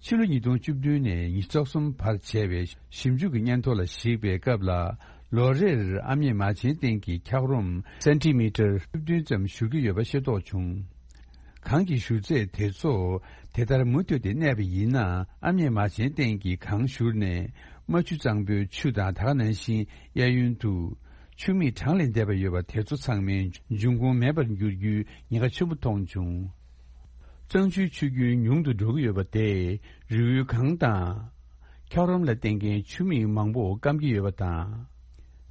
ཕྱི་ལོ་ཉིས་སྟོང་བཅུ་བདུན་ནས་ཉི་ཤུ་རྩ་གསུམ་བར་བྱས་པའི་ཞིབ་འཇུག་གི་སྙན་ཐོ་ལ་གཞིགས་པའི་སྐབས་ལ། ལོ་རེར་ཨ་མྱེས་རྨ་ཆེན་སྟེང་གི་འཁྱགས་རོམ་སེན་ཏི་མི་ཊར་བཅུ་བདུན་ཙམ་བཞུར་གྱི་ཡོད་པ་ཤེས་རྟོགས་བྱུང་། གངས་ཀྱི་ཞུ་ཚད་དེ་ཚོ་དེ་ལྟར་མུ་མཐུད་དེ་གནས་པ་ཡིན་ན། ཨ་མྱེས་རྨ་ཆེན་སྟེང་གི་གངས་བཞུར་ནས་རྨ་ཆུ་གཙང་པོའི་ཆུ་དང་། ད་ག་ནང་བཞིན་གཡས་གཡོན་དུ་ཆུ་མིག་གྲངས་ལས་འདས་པ་ཡོད་པ་དེ་ཚོ་ཚང་མའི་འབྱུང་ཁུངས་མེད་པར་འགྱུར་རྒྱུའི་ཉེན་ཁ་ཆེན་པོ་མཐོང་བྱུང་། གཙང་ཆུའི་ཆུ་རྒྱུན་ཉུང་དུ་འགྲོ་གི་ཡོད་པ་དེས་རི་བོའི་གངས་དང་། འཁྱགས་རོམ་ལ་བརྟེན་མཁན་ཆུ་མིག་མང་པོ་སྐམ་གྱི་ཡོད་པ་དང་།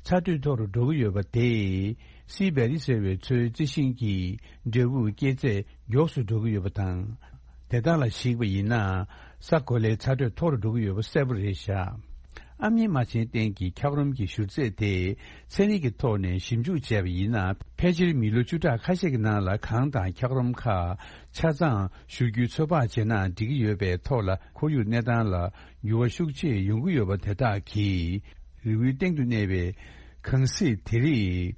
ཚ་དྲོད་མཐོ་རུ་འགྲོ་གི་ཡོད་པ་དེས་སི་བེ་རི་ཟེར་བའི་མཚོའི་རྩི་ཤིང་གི་འབྲས་བུ་སྐྱེ་ཚད་མགྱོགས་སུ་འགྲོ་གི་ཡོད་པ་དང་། དེ་དག་ལ་གཞིགས་པ་ཡིན་ན་ས་གོ་ལའི་ཚ་དྲོད་མཐོ་རུ་འགྲོ་གི་ཡོད་པ་གསལ་པོ་རེད་བཞག་ཨ་མྱེས་རྨ་ཆེན་བསྟན་གྱི་འཁྱགས་རོམ་གྱི་བཞུར་རྫས་དེ་ཚན་རིག་གི་ཐོག་ནས་ཞིབ་འཇུག་བྱས་པ་ཡིན་ན། ཕལ་ཆེར་མི་ལོ་བཅུ་ཕྲག་ཁ་ཤས་ཀྱི་ནང་ལ་གངས་དང་འཁྱགས་རོམ་ཁག་ཆ་ཚང་བཞུར་རྒྱུའི་ཚོད་དཔག་བྱས་ན་འགྲིག་གི་ཡོད་པའི་ཐོག་ལ། ཁོར་ཡུག་གནས་སྟངས་ལ་འགྱུར་བ་ཤུགས་ཆེ་ཡོང་གི་ཡོད་པ་དེ་དག་གིས་རི་བོའི་སྟེང་དུ་གནས་པའི་གངས་གཟིགས་དེ་རིགས་